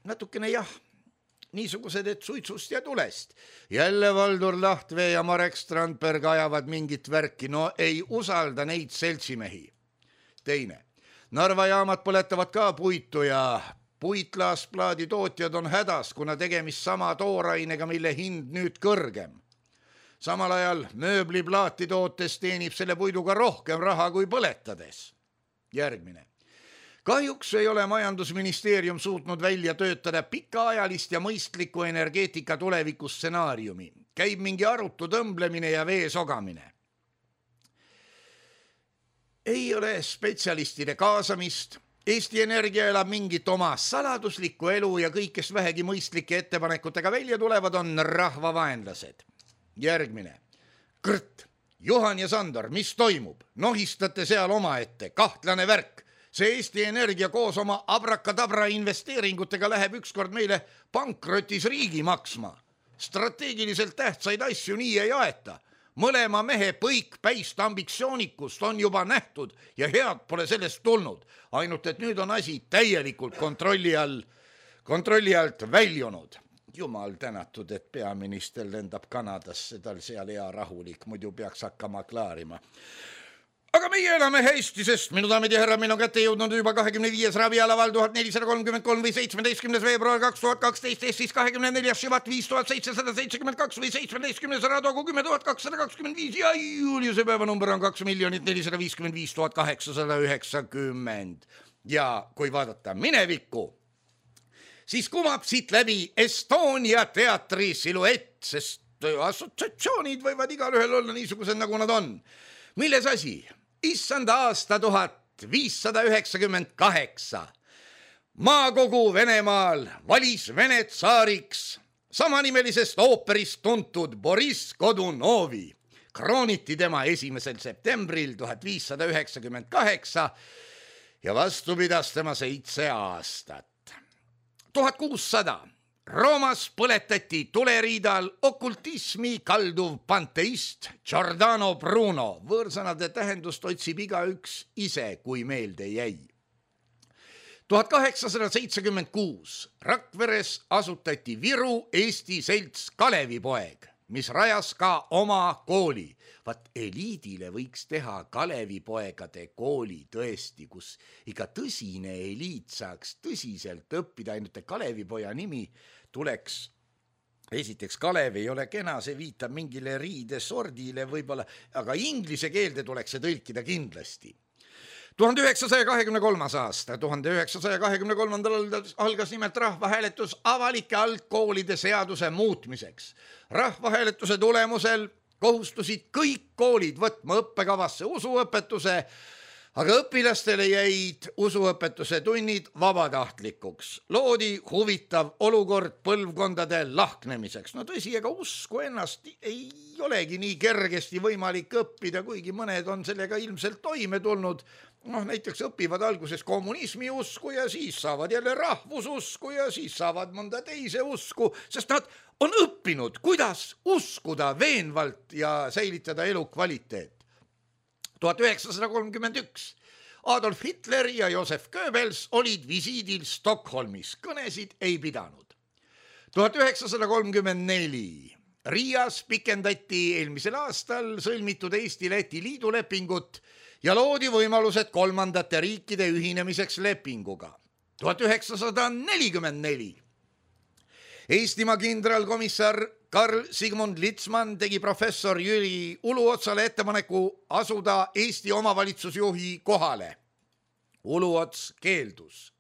natukene jah, niisugused, et suitsust ja tulest. Jälle Valdur Lahkmäe ja Marek Strandberg ajavad mingit värki, no ei usalda neid seltsimehi. Teine, Narva jaamad põletavad ka puitu ja puitlaasplaadi tootjad on hädas, kuna tegemist sama toorainega, mille hind nüüd kõrgem. Samal ajal mööbliplaati tootes teenib selle puiduga rohkem raha kui põletades. Järgmine. Kahjuks ei ole majandusministeerium suutnud välja töötada pikaajalist ja mõistlikku energeetika tulevikustsenaariumi. Käib mingi arutu tõmblemine ja vee sogamine. Ei ole spetsialistide kaasamist. Eesti Energia elab mingit oma saladuslikku elu ja kõik, kes vähegi mõistlike ettepanekutega välja tulevad, on rahvavaenlased. Järgmine. Kõrt, Juhan ja Sandor, mis toimub? Nohistate seal oma ette, kahtlane värk. See Eesti Energia koos oma abrakadabra investeeringutega läheb ükskord meile pankrotis riigi maksma. Strateegiliselt tähtsaid asju nii ei aeta. Mõlema mehe põikpäist ambitsioonikust on juba nähtud ja head pole sellest tulnud. Ainult, et nüüd on asi täielikult kontrolli all, kontrolli alt väljunud. Jumal tänatud, et peaminister lendab Kanadasse, tal seal hea rahulik, muidu peaks hakkama klaarima. Aga meie elame hästi, sest minu daamid ja härrad, meil on kätte jõudnud juba kahekümne viies ravialaval tuhat nelisada kolmkümmend kolm või seitsmeteistkümnes veebruar kaks tuhat kaksteist, siis kahekümne neljas Šivat viis tuhat seitsesada seitsekümmend kaks või seitsmeteistkümnes Radogu kümme tuhat kakssada kakskümmend viis ja Juliuse päevanumber on kaks miljonit nelisada viiskümmend viis tuhat kaheksasada üheksakümmend. Ja kui vaadata minevikku, siis kumab siit läbi Estonia teatri siluett, sest assotsiatsioonid võivad igal ühel olla niisugused, nagu nad on. Milles asi? Issand aasta tuhat viissada üheksakümmend kaheksa. Maakogu Venemaal valis Vene tsaariks samanimelisest ooperist tuntud Boris Godunovi. Krooniti tema esimesel septembril tuhat viissada üheksakümmend kaheksa ja vastu pidas tema seitse aastat. tuhat kuussada. Roomas põletati tuleriidal okultismi kalduv panteist Giordano Bruno. Võõrsõnade tähendust otsib igaüks ise, kui meelde jäi. tuhat kaheksasada seitsekümmend kuus. Rakveres asutati Viru Eesti selts Kalevipoeg. mis rajas ka oma kooli. Vaat eliidile võiks teha Kalevipoegade kooli tõesti, kus ikka tõsine eliit saaks tõsiselt õppida, ainult Kalevipoja nimi tuleks. Esiteks Kalev ei ole kena, see viitab mingile riidesordile võib-olla, aga inglise keelde tuleks see tõlkida kindlasti. tuhande üheksasaja kahekümne kolmas aasta, tuhande üheksasaja kahekümne kolmandal algas nimelt rahvahääletus avalike algkoolide seaduse muutmiseks. Rahvahääletuse tulemusel kohustusid kõik koolid võtma õppekavasse usuõpetuse, aga õpilastele jäid usuõpetuse tunnid vabatahtlikuks. Loodi huvitav olukord põlvkondade lahknemiseks. No tõsi, ega usku ennast ei olegi nii kergesti võimalik õppida, kuigi mõned on sellega ilmselt toime tulnud. Noh, näiteks õpivad alguses kommunismi usku ja siis saavad jälle rahvususku ja siis saavad mõnda teise usku, sest nad on õppinud, kuidas uskuda veenvalt ja säilitada elu kvaliteet. tuhat üheksasada kolmkümmend üks. Adolf Hitler ja Josef Goebbels olid visiidil Stockholmis, kõnesid ei pidanud. tuhat üheksasada kolmkümmend neli. Riias pikendati eelmisel aastal sõlmitud Eesti-Läti liidulepingut ja loodi võimalused kolmandate riikide ühinemiseks lepinguga. tuhat üheksasada nelikümmend neli. Eestimaa kindralkomissar Karl Sigmund Litzmann tegi professor Jüri Uluotsale ettepaneku asuda Eesti omavalitsusjuhi kohale. Uluots keeldus.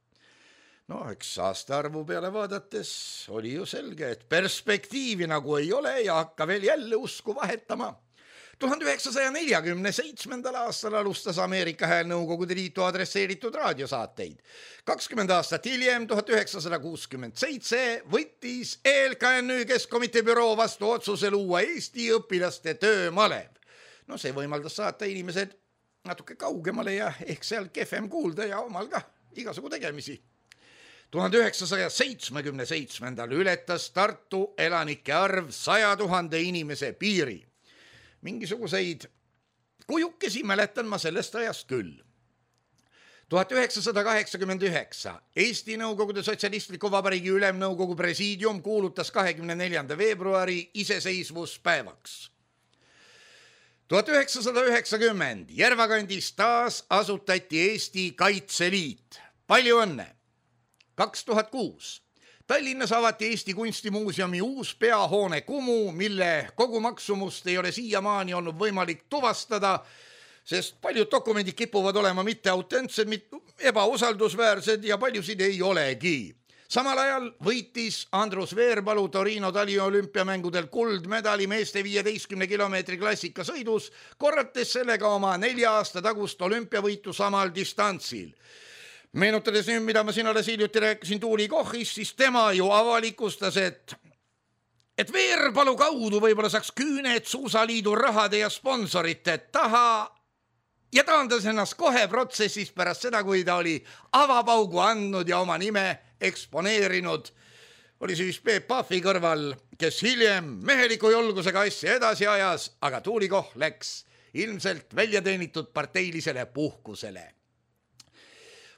No, eks aastaarvu peale vaadates oli ju selge, et perspektiivi nagu ei ole ja hakka veel jälle usku vahetama. tuhande üheksasaja neljakümne seitsmendal aastal alustas Ameerika Hääl Nõukogude Liitu adresseeritud raadiosaateid. kakskümmend aastat hiljem, tuhat üheksasada kuuskümmend seitse, võttis E L K N Ü Keskkomitee büroo vastu otsuse luua Eesti õpilaste töömalev. No see võimaldas saata inimesed natuke kaugemale ja ehk seal kehvem kuulda ja omal ka igasugu tegemisi. tuhande üheksasaja seitsmekümne seitsmendal ületas Tartu elanike arv saja tuhande inimese piiri. Mingisuguseid kujukesi mäletan ma sellest ajast küll. tuhat üheksasada kaheksakümmend üheksa. Eesti Nõukogude Sotsialistliku Vabariigi Ülemnõukogu presiidium kuulutas kahekümne neljanda veebruari iseseisvuspäevaks. tuhat üheksasada üheksakümmend. Järvakandis taas asutati Eesti Kaitseliit. Palju õnne! kaks tuhat kuus. Tallinnas avati Eesti Kunstimuuseumi uus peahoone Kumu, mille kogu maksumust ei ole siiamaani olnud võimalik tuvastada, sest paljud dokumendid kipuvad olema mitte autentsed, ebausaldusväärsed ja paljusid ei olegi. Samal ajal võitis Andrus Veerpalu Torino taliolümpiamängudel kuldmedali meeste viieteistkümne kilomeetri klassikasõidus, korrates sellega oma nelja aasta tagust olümpiavõitu samal distantsil. Meenutades nüüd, mida ma siin alles hiljuti rääkisin Tuuli Kohis, siis tema ju avalikustas, et, et Veerpalu kaudu võib-olla saaks küüned Suusaliidu rahade ja sponsorite taha ja taandas ennast kohe protsessis pärast seda, kui ta oli avapaugu andnud ja oma nime eksponeerinud. Oli siis Peep Pahvi kõrval, kes hiljem meheliku julgusega asja edasi ajas, aga Tuuli Koh läks ilmselt väljateenitud parteilisele puhkusele.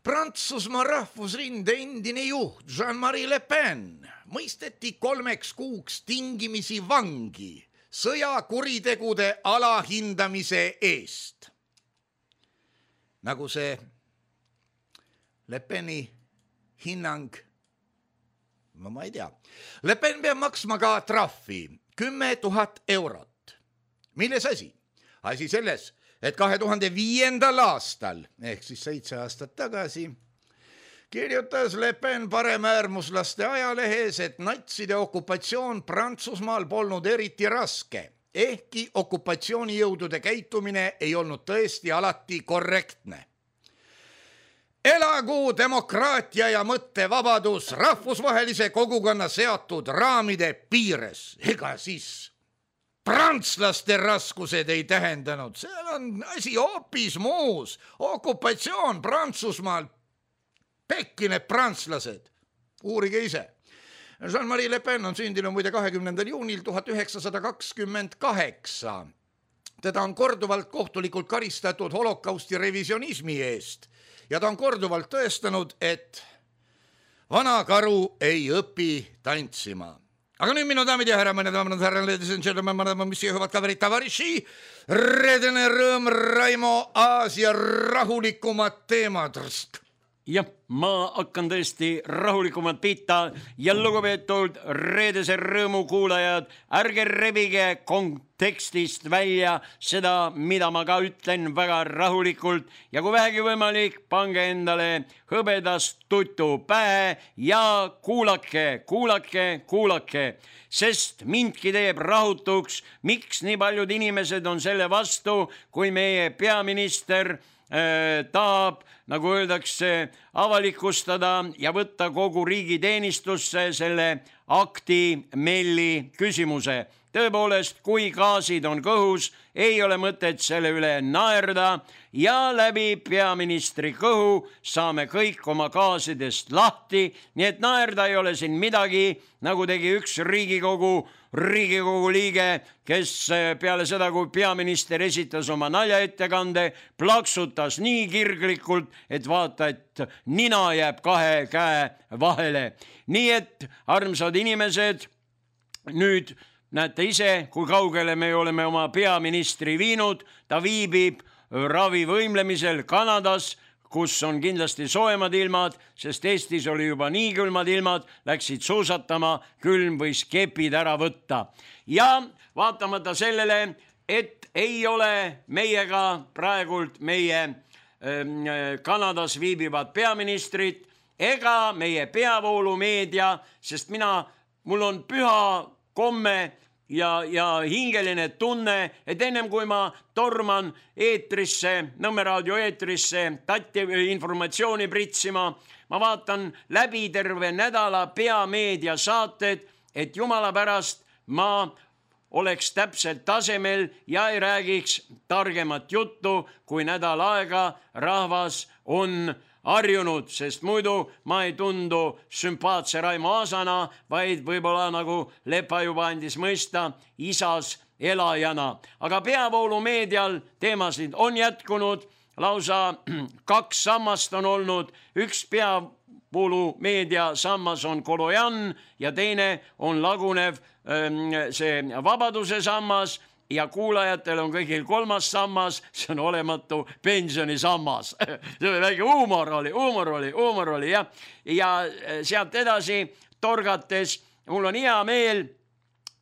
Prantsusmaa rahvusrinde endine juht Jean-Marie Le Pen mõisteti kolmeks kuuks tingimisi vangi sõjakuritegude alahindamise eest. Nagu see Le Peni hinnang, no ma ei tea. Le Pen peab maksma ka trahvi kümme tuhat eurot. Milles asi? Asi selles, et kahe tuhande viiendal aastal, ehk siis seitse aastat tagasi, kirjutas Le Pen paremäärmuslaste ajalehes, et natside okupatsioon Prantsusmaal polnud eriti raske, ehkki okupatsioonijõudude käitumine ei olnud tõesti alati korrektne. Elagu demokraatia ja mõttevabadus rahvusvahelise kogukonna seatud raamide piires, ega siis prantslaste raskused ei tähendanud, seal on asi hoopis muus. Okupatsioon Prantsusmaal, pekki need prantslased, uurige ise. Jean-Marie Le Pen on sündinud muide kahekümnendal juunil tuhat üheksasada kakskümmend kaheksa. Teda on korduvalt kohtulikult karistatud holokausti revisionismi eest ja ta on korduvalt tõestanud, et vana karu ei õpi tantsima. Aga nüüd minu daamid ja härra, mõned daamid, härra, ladies and gentlemen, madame, mis juhuvad ka verita variši, reedene rõõm, Raimo Aasia rahulikumad teemad. Jah, ma hakkan tõesti rahulikumalt pihta ja lugupeetud reedese rõõmu kuulajad, ärge rebige kontekstist välja seda, mida ma ka ütlen väga rahulikult ja kui vähegi võimalik, pange endale hõbedast tutu pähe ja kuulake, kuulake, kuulake, sest mindki teeb rahutuks, miks nii paljud inimesed on selle vastu, kui meie peaminister äh, tahab, nagu öeldakse, avalikustada ja võtta kogu riigi teenistusse selle akti melli küsimuse. Tõepoolest, kui gaasid on kõhus, ei ole mõtet selle üle naerda ja läbi peaministri kõhu saame kõik oma gaasidest lahti, nii et naerda ei ole siin midagi, nagu tegi üks Riigikogu Riigikogu liige, kes peale seda, kui peaminister esitas oma naljaettekande, plaksutas nii kirglikult, et vaata, et nina jääb kahe käe vahele. Nii et, armsad inimesed, nüüd näete ise, kui kaugele me oleme oma peaministri viinud, ta viibib ravivõimlemisel Kanadas, kus on kindlasti soojemad ilmad, sest Eestis oli juba nii külmad ilmad, läksid suusatama, külm võis kepid ära võtta. Ja vaatamata sellele, et ei ole meiega praegult meie äh, Kanadas viibivad peaministrid ega meie peavoolumeedia, sest mina, mul on püha komme ja, ja hingeline tunne, et ennem kui ma torman eetrisse, Nõmme raadio eetrisse tatti informatsiooni pritsima, ma vaatan läbi terve nädala peameedia saated, et jumala pärast ma oleks täpselt tasemel ja ei räägiks targemat juttu, kui nädal aega rahvas on harjunud, sest muidu ma ei tundu sümpaatse Raimo Aasana, vaid võib-olla nagu Lepa juba andis mõista isas elajana. Aga peavoolumeedial teemasid on jätkunud, lausa kaks sammast on olnud, üks peavoolumeedia sammas on Kolojan ja teine on lagunev see Vabaduse sammas, ja kuulajatel on kõigil kolmas sammas, see on olematu pensionisammas. See oli väike huumor oli, huumor oli, huumor oli, jah. Ja sealt edasi torgates mul on hea meel,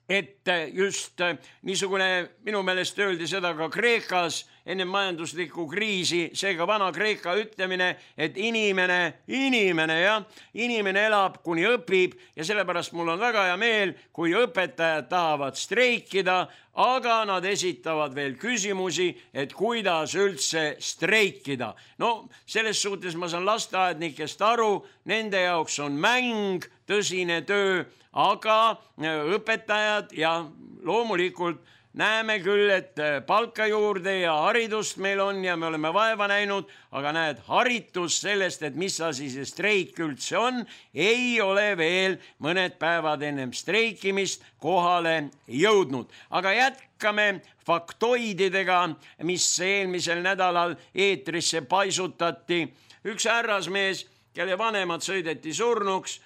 et just niisugune, minu meelest öeldi seda ka Kreekas enne majanduslikku kriisi, seega vana Kreeka ütlemine, et inimene, inimene, jah, inimene elab, kuni õpib ja sellepärast mul on väga hea meel, kui õpetajad tahavad streikida, aga nad esitavad veel küsimusi, et kuidas üldse streikida. No, selles suhtes ma saan lasteaednikest aru, nende jaoks on mäng, tõsine töö, aga õpetajad ja loomulikult näeme küll, et palka juurde ja haridust meil on ja me oleme vaeva näinud, aga näed, haritus sellest, et mis asi see streik üldse on, ei ole veel mõned päevad ennem streikimist kohale jõudnud. Aga jätkame faktoididega, mis eelmisel nädalal eetrisse paisutati. Üks härrasmees, kelle vanemad sõideti surnuks,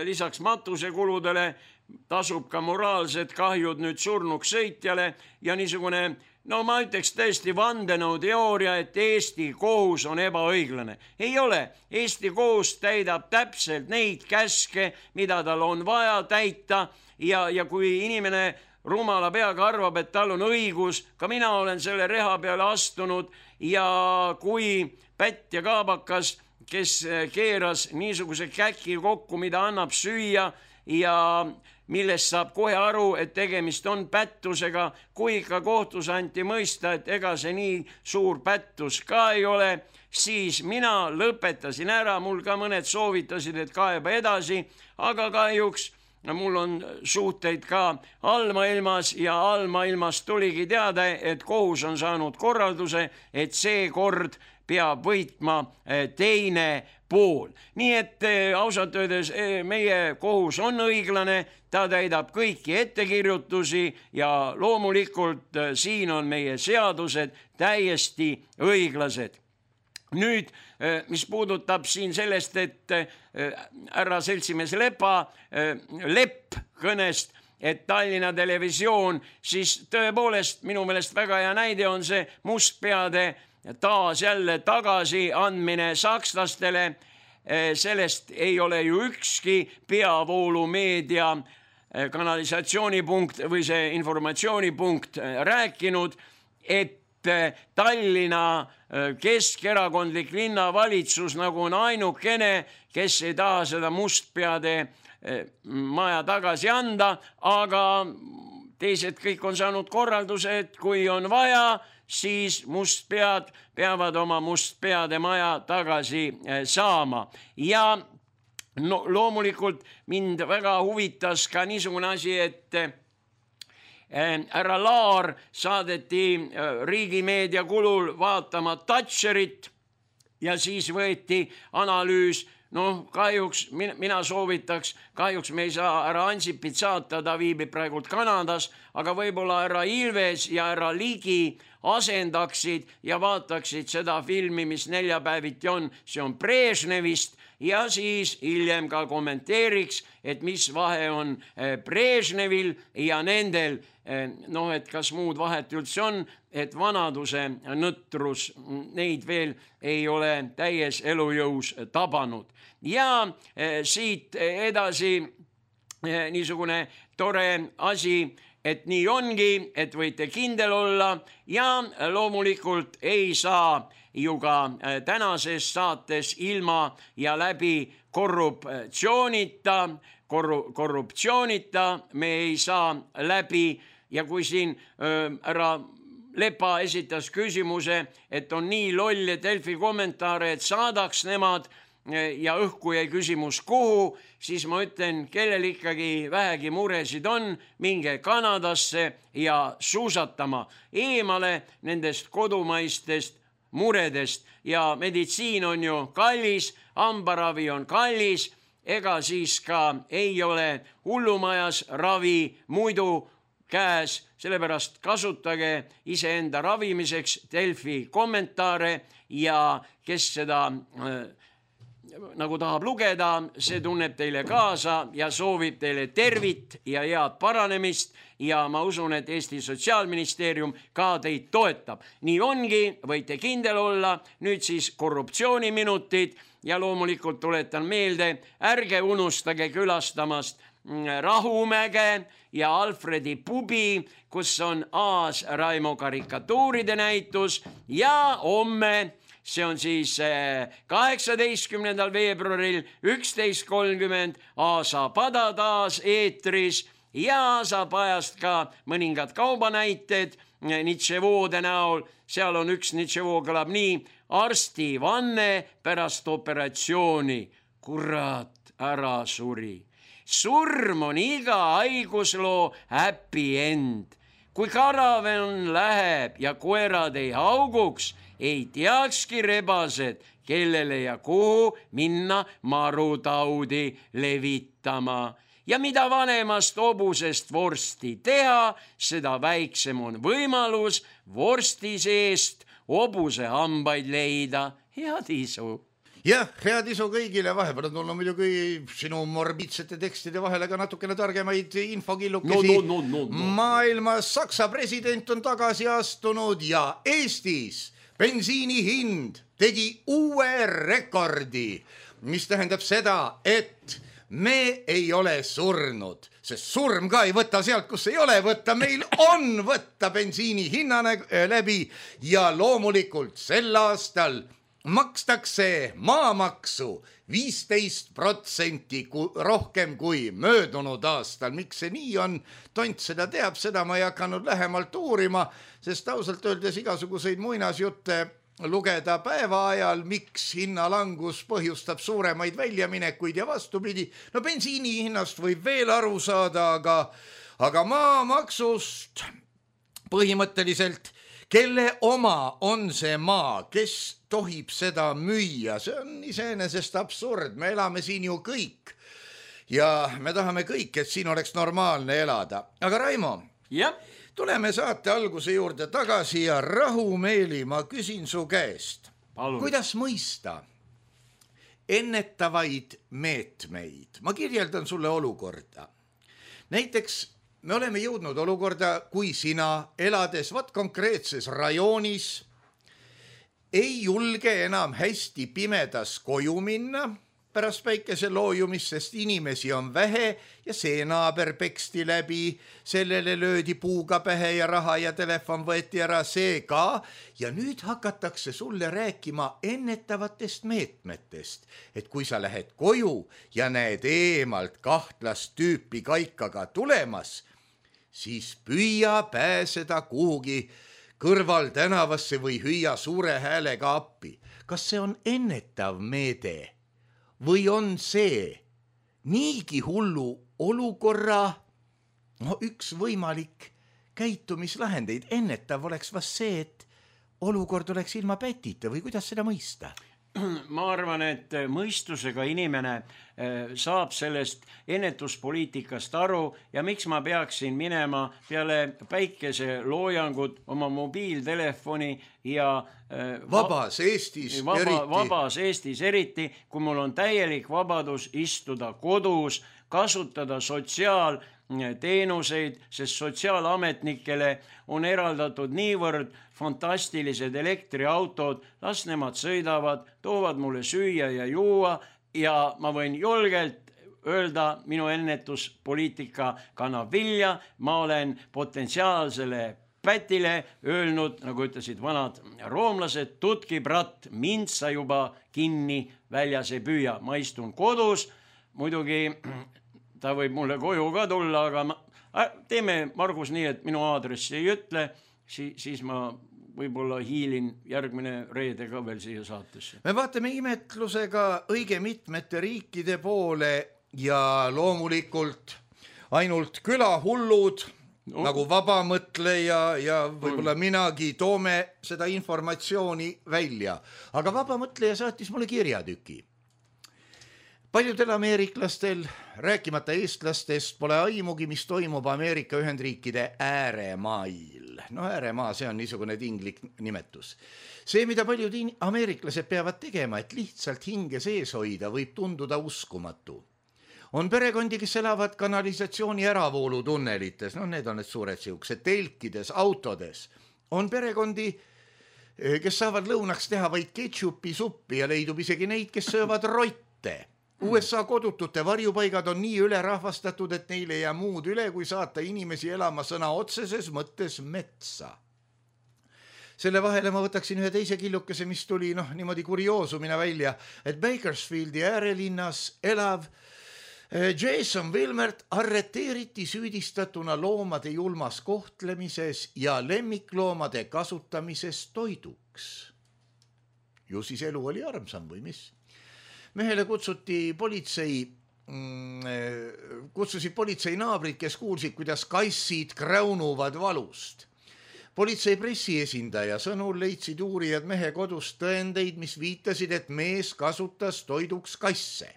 lisaks matusekuludele tasub ka moraalsed kahjud nüüd surnuks sõitjale ja niisugune, no ma ütleks tõesti vandenõu teooria, et Eesti kohus on ebaõiglane. Ei ole. Eesti kohus täidab täpselt neid käske, mida tal on vaja täita ja, ja kui inimene rumala peaga arvab, et tal on õigus, ka mina olen selle reha peale astunud ja kui Pätt ja Kaabakas, kes keeras niisuguse käki kokku, mida annab süüa ja millest saab kohe aru, et tegemist on pättusega, kui ikka kohtus anti mõista, et ega see nii suur pättus ka ei ole, siis mina lõpetasin ära, mul ka mõned soovitasid, et kaeba edasi, aga kahjuks mul on suhteid ka allmaailmas ja allmaailmas tuligi teada, et kohus on saanud korralduse, et see kord peab võitma teine pool. Nii et ausalt öeldes meie kohus on õiglane, ta täidab kõiki ettekirjutusi ja loomulikult siin on meie seadused täiesti õiglased. nüüd, mis puudutab siin sellest, et härra seltsimees Lepa, Lepp kõnest, et Tallinna Televisioon, siis tõepoolest minu meelest väga hea näide on see mustpeade taas jälle tagasi andmine sakslastele. Sellest ei ole ju ükski peavoolumeedia kanalisatsioonipunkt või see informatsioonipunkt rääkinud, et Tallinna keskerakondlik linnavalitsus nagu on ainukene, kes ei taha seda mustpeade maja tagasi anda, aga teised kõik on saanud korralduse, et kui on vaja, siis mustpead peavad oma mustpeade maja tagasi saama. Ja no, loomulikult mind väga huvitas ka niisugune asi, et härra Laar saadeti riigimeedia kulul vaatama Thatcherit ja siis võeti analüüs. Noh, kahjuks mina soovitaks, kahjuks me ei saa härra Ansipit saata, ta viibib praegult Kanadas, aga võib-olla härra Ilves ja härra Ligi asendaksid ja vaataksid seda filmi, mis neljapäeviti on, see on Brežnevist, ja siis hiljem ka kommenteeriks, et mis vahe on Brežnevil ja nendel, noh, et kas muud vahet üldse on, et vanaduse nõtrus neid veel ei ole täies elujõus tabanud. Ja siit edasi niisugune tore asi, et nii ongi, et võite kindel olla ja loomulikult ei saa ju ka tänases saates ilma ja läbi korruptsioonita, korru, korruptsioonita me ei saa läbi ja kui siin härra Lepa esitas küsimuse, et on nii loll ja Delfi kommentaare, et saadaks nemad ja õhku jäi küsimus kuhu, siis ma ütlen, kellel ikkagi vähegi muresid on, minge Kanadasse ja suusatama eemale nendest kodumaistest muredest ja meditsiin on ju kallis, hambaravi on kallis, ega siis ka ei ole hullumajas ravi muidu käes, sellepärast kasutage iseenda ravimiseks Delfi kommentaare ja kes seda äh, nagu tahab lugeda, see tunneb teile kaasa ja soovib teile tervit ja head paranemist ja ma usun, et Eesti Sotsiaalministeerium ka teid toetab. Nii ongi, võite kindel olla, nüüd siis korruptsiooniminutid ja loomulikult tuletan meelde, ärge unustage külastamast Rahumäge ja Alfredi pubi, kus on Aas Raimo karikatuuride näitus ja homme, see on siis kaheksateistkümnendal veebruaril üksteist kolmkümmend Aasa pada taas eetris ja saab ajast ka mõningad kaubanäited Nitševoode näol. Seal on üks Nitševoo kõlab nii, arsti vanne pärast operatsiooni, kurat, ära suri. Surm on iga haigusloo happy end. Kui karavan läheb ja koerad ei hauguks, ei teakski rebased, kellele ja kuhu minna marutaudi levitama. Ja mida vanemast hobusest vorsti teha, seda väiksem on võimalus vorsti seest hobuse hambaid leida. Head isu! Jah, head isu kõigile, vahepeal on tulnud muidugi sinu morbiidsete tekstide vahele ka natukene targemaid infokillukesi. No, no, no, no, no. Maailmas Saksa president on tagasi astunud ja Eestis bensiini hind tegi uue rekordi, mis tähendab seda, et me ei ole surnud, sest surm ka ei võta sealt, kus ei ole võtta, meil on võtta bensiini hinnane läbi ja loomulikult sel aastal makstakse maamaksu viisteist protsenti rohkem kui möödunud aastal. Miks see nii on? Tont seda teab, seda ma ei hakanud lähemalt uurima, sest ausalt öeldes igasuguseid muinasjutte lugeda päeva ajal, miks hinnalangus põhjustab suuremaid väljaminekuid ja vastupidi. No bensiini hinnast võib veel aru saada, aga, aga maamaksust põhimõtteliselt, kelle oma on see maa, kes tohib seda müüa, see on iseenesest absurd, me elame siin ju kõik ja me tahame kõik, et siin oleks normaalne elada. Aga Raimo, ja? Tuleme saate alguse juurde tagasi ja rahumeeli ma küsin su käest. Palun. Kuidas mõista ennetavaid meetmeid? Ma kirjeldan sulle olukorda. Näiteks me oleme jõudnud olukorda, kui sina elades vat konkreetses rajoonis ei julge enam hästi pimedas koju minna pärast päikese loojumist, sest inimesi on vähe ja see naaber peksti läbi, sellele löödi puuga pähe ja raha ja telefon võeti ära, see ka. Ja nüüd hakatakse sulle rääkima ennetavatest meetmetest, et kui sa lähed koju ja näed eemalt kahtlast tüüpi kaikaga tulemas, siis püüa pääseda kuhugi kõrval tänavasse või hüüa suure häälega appi. Kas see on ennetav meede? Või on see niigi hullu olukorra no, üks võimalik käitumislahendeid? Ennetav oleks vast see, et olukord oleks ilma pätita või kuidas seda mõista? Ma arvan, et mõistusega inimene saab sellest ennetuspoliitikast aru ja miks ma peaksin minema peale päikese loojangut oma mobiiltelefoni ja vabas Eestis vaba, eriti. Vabas Eestis eriti, kui mul on täielik vabadus istuda kodus, kasutada sotsiaal teenuseid, sest sotsiaalametnikele on eraldatud niivõrd fantastilised elektriautod, las nemad sõidavad, toovad mulle süüa ja juua ja ma võin julgelt öelda, minu ennetuspoliitika kannab vilja, ma olen potentsiaalsele pätile öelnud, nagu ütlesid vanad roomlased, tutki brat, mind sa juba kinni väljas ei püüa, ma istun kodus, muidugi ta võib mulle koju ka tulla, aga ma, teeme Margus nii, et minu aadressi ei ütle, si, siis ma võib-olla hiilin järgmine reede ka veel siia saatesse. Me vaatame imetlusega õige mitmete riikide poole ja loomulikult ainult külahullud, no. nagu vabamõtleja ja võib-olla mm. minagi toome seda informatsiooni välja. Aga vabamõtleja saatis mulle kirjatüki. Paljudel ameeriklastel, rääkimata eestlastest, pole aimugi, mis toimub Ameerika Ühendriikide ääremail. No ääremaa, see on niisugune tinglik nimetus. See, mida paljud ameeriklased peavad tegema, et lihtsalt hinge sees hoida, võib tunduda uskumatu. On perekondi, kes elavad kanalisatsiooni äravoolu tunnelites, no need on need suured siuksed, telkides, autodes. On perekondi, kes saavad lõunaks teha vaid ketšupi suppi ja leidub isegi neid, kes söövad rotte. U S A kodutute varjupaigad on nii ülerahvastatud, et neil ei jää muud üle, kui saata inimesi elama sõna otseses mõttes metsa. Selle vahele ma võtaksin ühe teise killukese, mis tuli noh, niimoodi kurioosumina välja, et Bakersfieldi äärelinnas elav Jason Wilmert arreteeriti süüdistatuna loomade julmas kohtlemises ja lemmikloomade kasutamises toiduks. Ju siis elu oli armsam või mis? Mehele kutsuti politsei, kutsusid politsei naabrid, kes kuulsid, kuidas kassid kräunuvad valust. Politsei pressiesindaja sõnul leidsid uurijad mehe kodust tõendeid, mis viitasid, et mees kasutas toiduks kasse.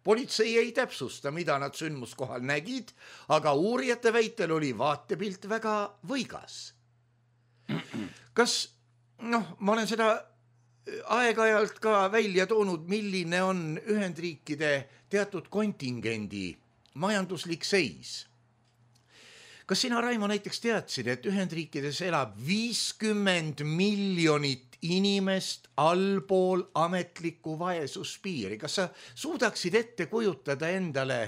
Politsei ei täpsusta, mida nad sündmuskohal nägid, aga uurijate väitel oli vaatepilt väga võigas. Kas, noh, ma olen seda aeg-ajalt ka välja toonud, milline on Ühendriikide teatud kontingendi majanduslik seis. Kas sina, Raimo, näiteks teadsid, et Ühendriikides elab viiskümmend miljonit inimest allpool ametlikku vaesuspiiri? Kas sa suudaksid ette kujutada endale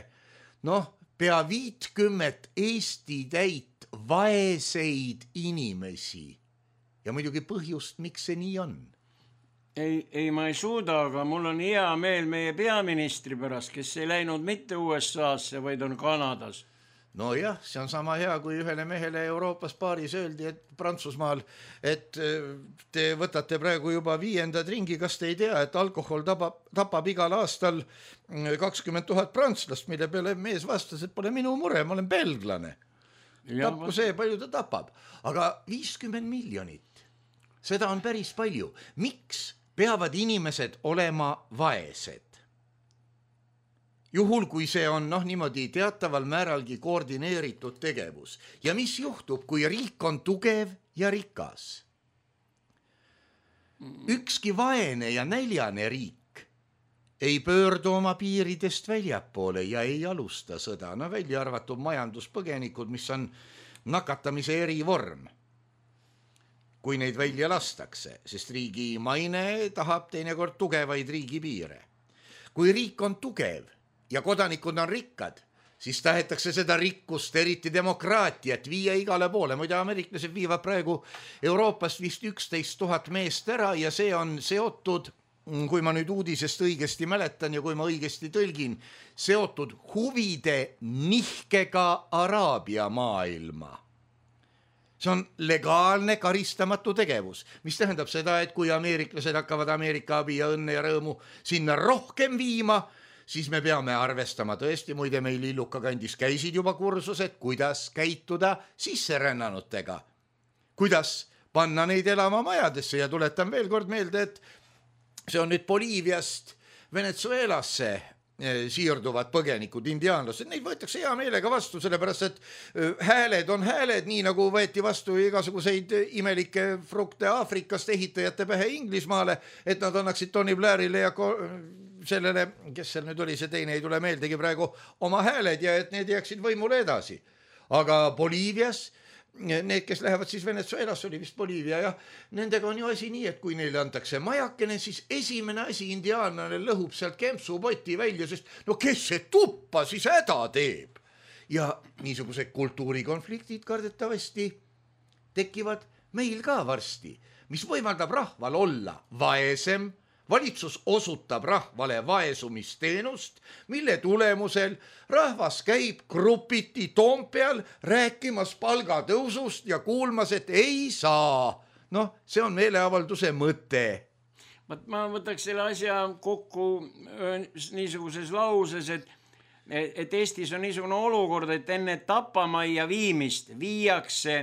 noh, pea viitkümmet Eesti täit vaeseid inimesi? Ja muidugi põhjust, miks see nii on? Ei, ei, ma ei suuda, aga mul on hea meel meie peaministri pärast, kes ei läinud mitte U S A-sse, vaid on Kanadas. No jah, see on sama hea, kui ühele mehele Euroopas paaris öeldi, et Prantsusmaal, et te võtate praegu juba viiendad ringi, kas te ei tea, et alkohol tapab, tapab igal aastal kakskümmend tuhat prantslast, mille peale mees vastas, et pole minu mure, ma olen belglane. Tapku see, palju ta tapab. Aga viiskümmend miljonit, seda on päris palju. Miks peavad inimesed olema vaesed? Juhul, kui see on noh, niimoodi teataval määralgi koordineeritud tegevus. Ja mis juhtub, kui riik on tugev ja rikas? ükski vaene ja näljane riik ei pöördu oma piiridest väljapoole ja ei alusta sõda, no välja arvatud majanduspõgenikud, mis on nakatamise erivorm, kui neid välja lastakse, sest riigi maine tahab teinekord tugevaid riigipiire. Kui riik on tugev ja kodanikud on rikkad, siis tahetakse seda rikkust, eriti demokraatiat, viia igale poole. Muide, ameeriklased viivad praegu Euroopast vist üksteist tuhat meest ära ja see on seotud, kui ma nüüd uudisest õigesti mäletan ja kui ma õigesti tõlgin, seotud huvide nihkega Araabia maailma. See on legaalne karistamatu tegevus, mis tähendab seda, et kui ameeriklased hakkavad Ameerika abi ja õnne ja rõõmu sinna rohkem viima, siis me peame arvestama tõesti, muide meil Illuka kandis käisid juba kursused, kuidas käituda sisserännanutega, kuidas panna neid elama majadesse ja tuletan veel kord meelde, et see on nüüd Boliiviast Venezuelasse siirduvad põgenikud, indiaanlased, neid võetakse hea meelega vastu, sellepärast et hääled on hääled, nii nagu võeti vastu igasuguseid imelikke frukte Aafrikast ehitajate pähe Inglismaale, et nad annaksid Tony Blairile ja sellele, kes seal nüüd oli, see teine ei tule meeldegi praegu, oma hääled ja et need jääksid võimule edasi. Aga Boliivias need, kes lähevad siis Venezuelas, oli vist Boliivia ja nendega on ju asi nii, et kui neile antakse majakene, siis esimene asi indiaanlane lõhub sealt kempsupoti välja, sest no kes see tuppa siis häda teeb? Ja niisugused kultuurikonfliktid kardetavasti tekivad meil ka varsti, mis võimaldab rahval olla vaesem. Valitsus osutab rahvale vaesumisteenust, mille tulemusel rahvas käib grupiti Toompeal rääkimas palgatõusust ja kuulmas, et ei saa. Noh, see on meeleavalduse mõte. Ma võtaks selle asja kokku niisuguses lauses, et, et Eestis on niisugune olukord, et enne tapamajja viimist viiakse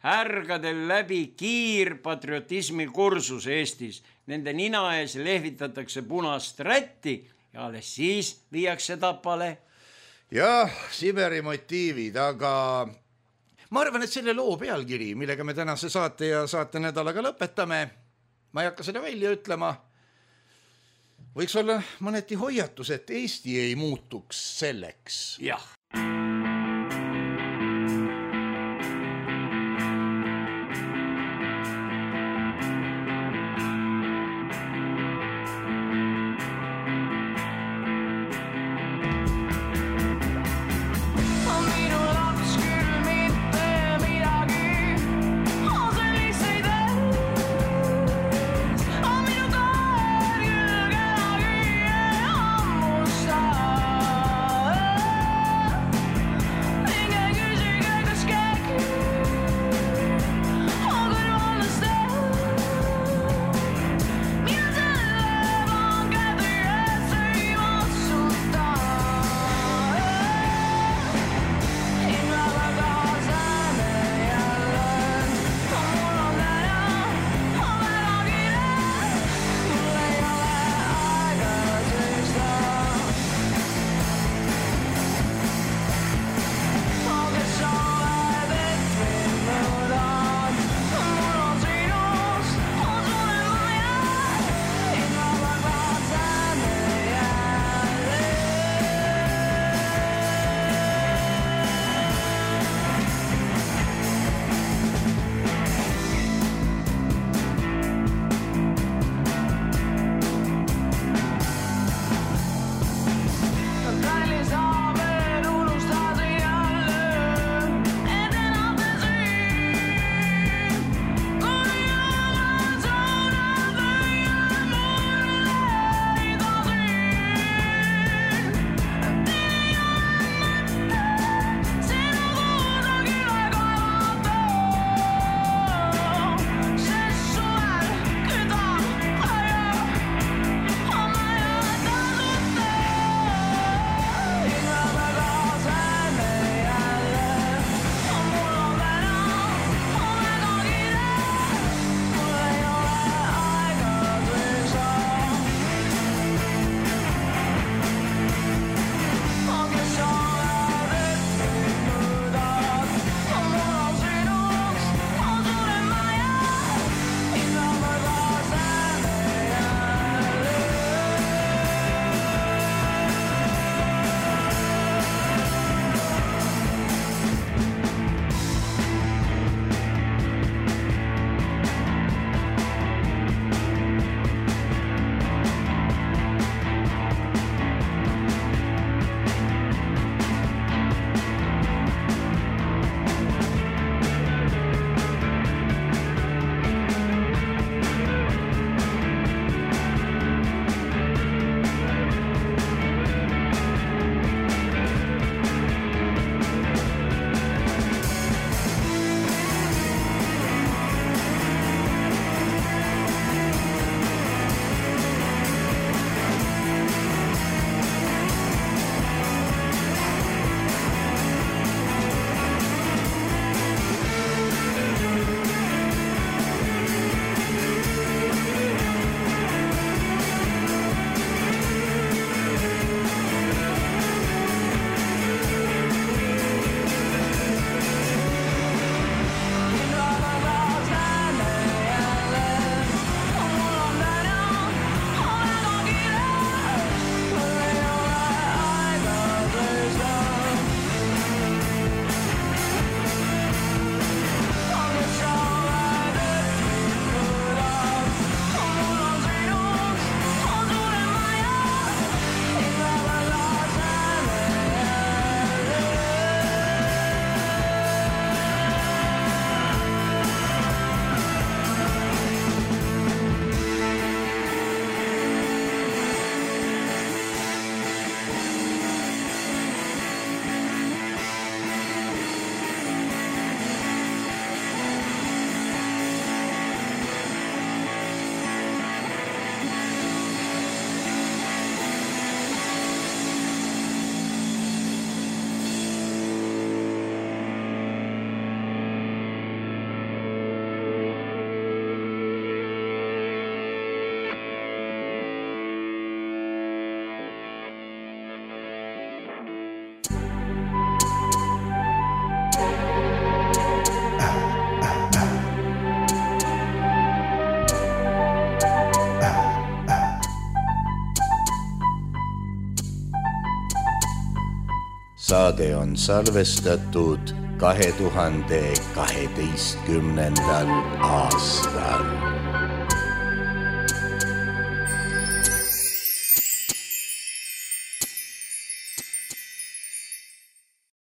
härgadel läbi kiirpatriotismi kursus Eestis. Nende nina ees lehvitatakse punast rätti ja alles siis viiakse tapale. Jah, Siberi motiivid, aga ma arvan, et selle loo pealkiri, millega me tänase saate ja saate nädalaga lõpetame, ma ei hakka seda välja ütlema, võiks olla mõneti hoiatus, et Eesti ei muutuks selleks. Jah. Saade on salvestatud kahe tuhande kaheteistkümnendal aastal.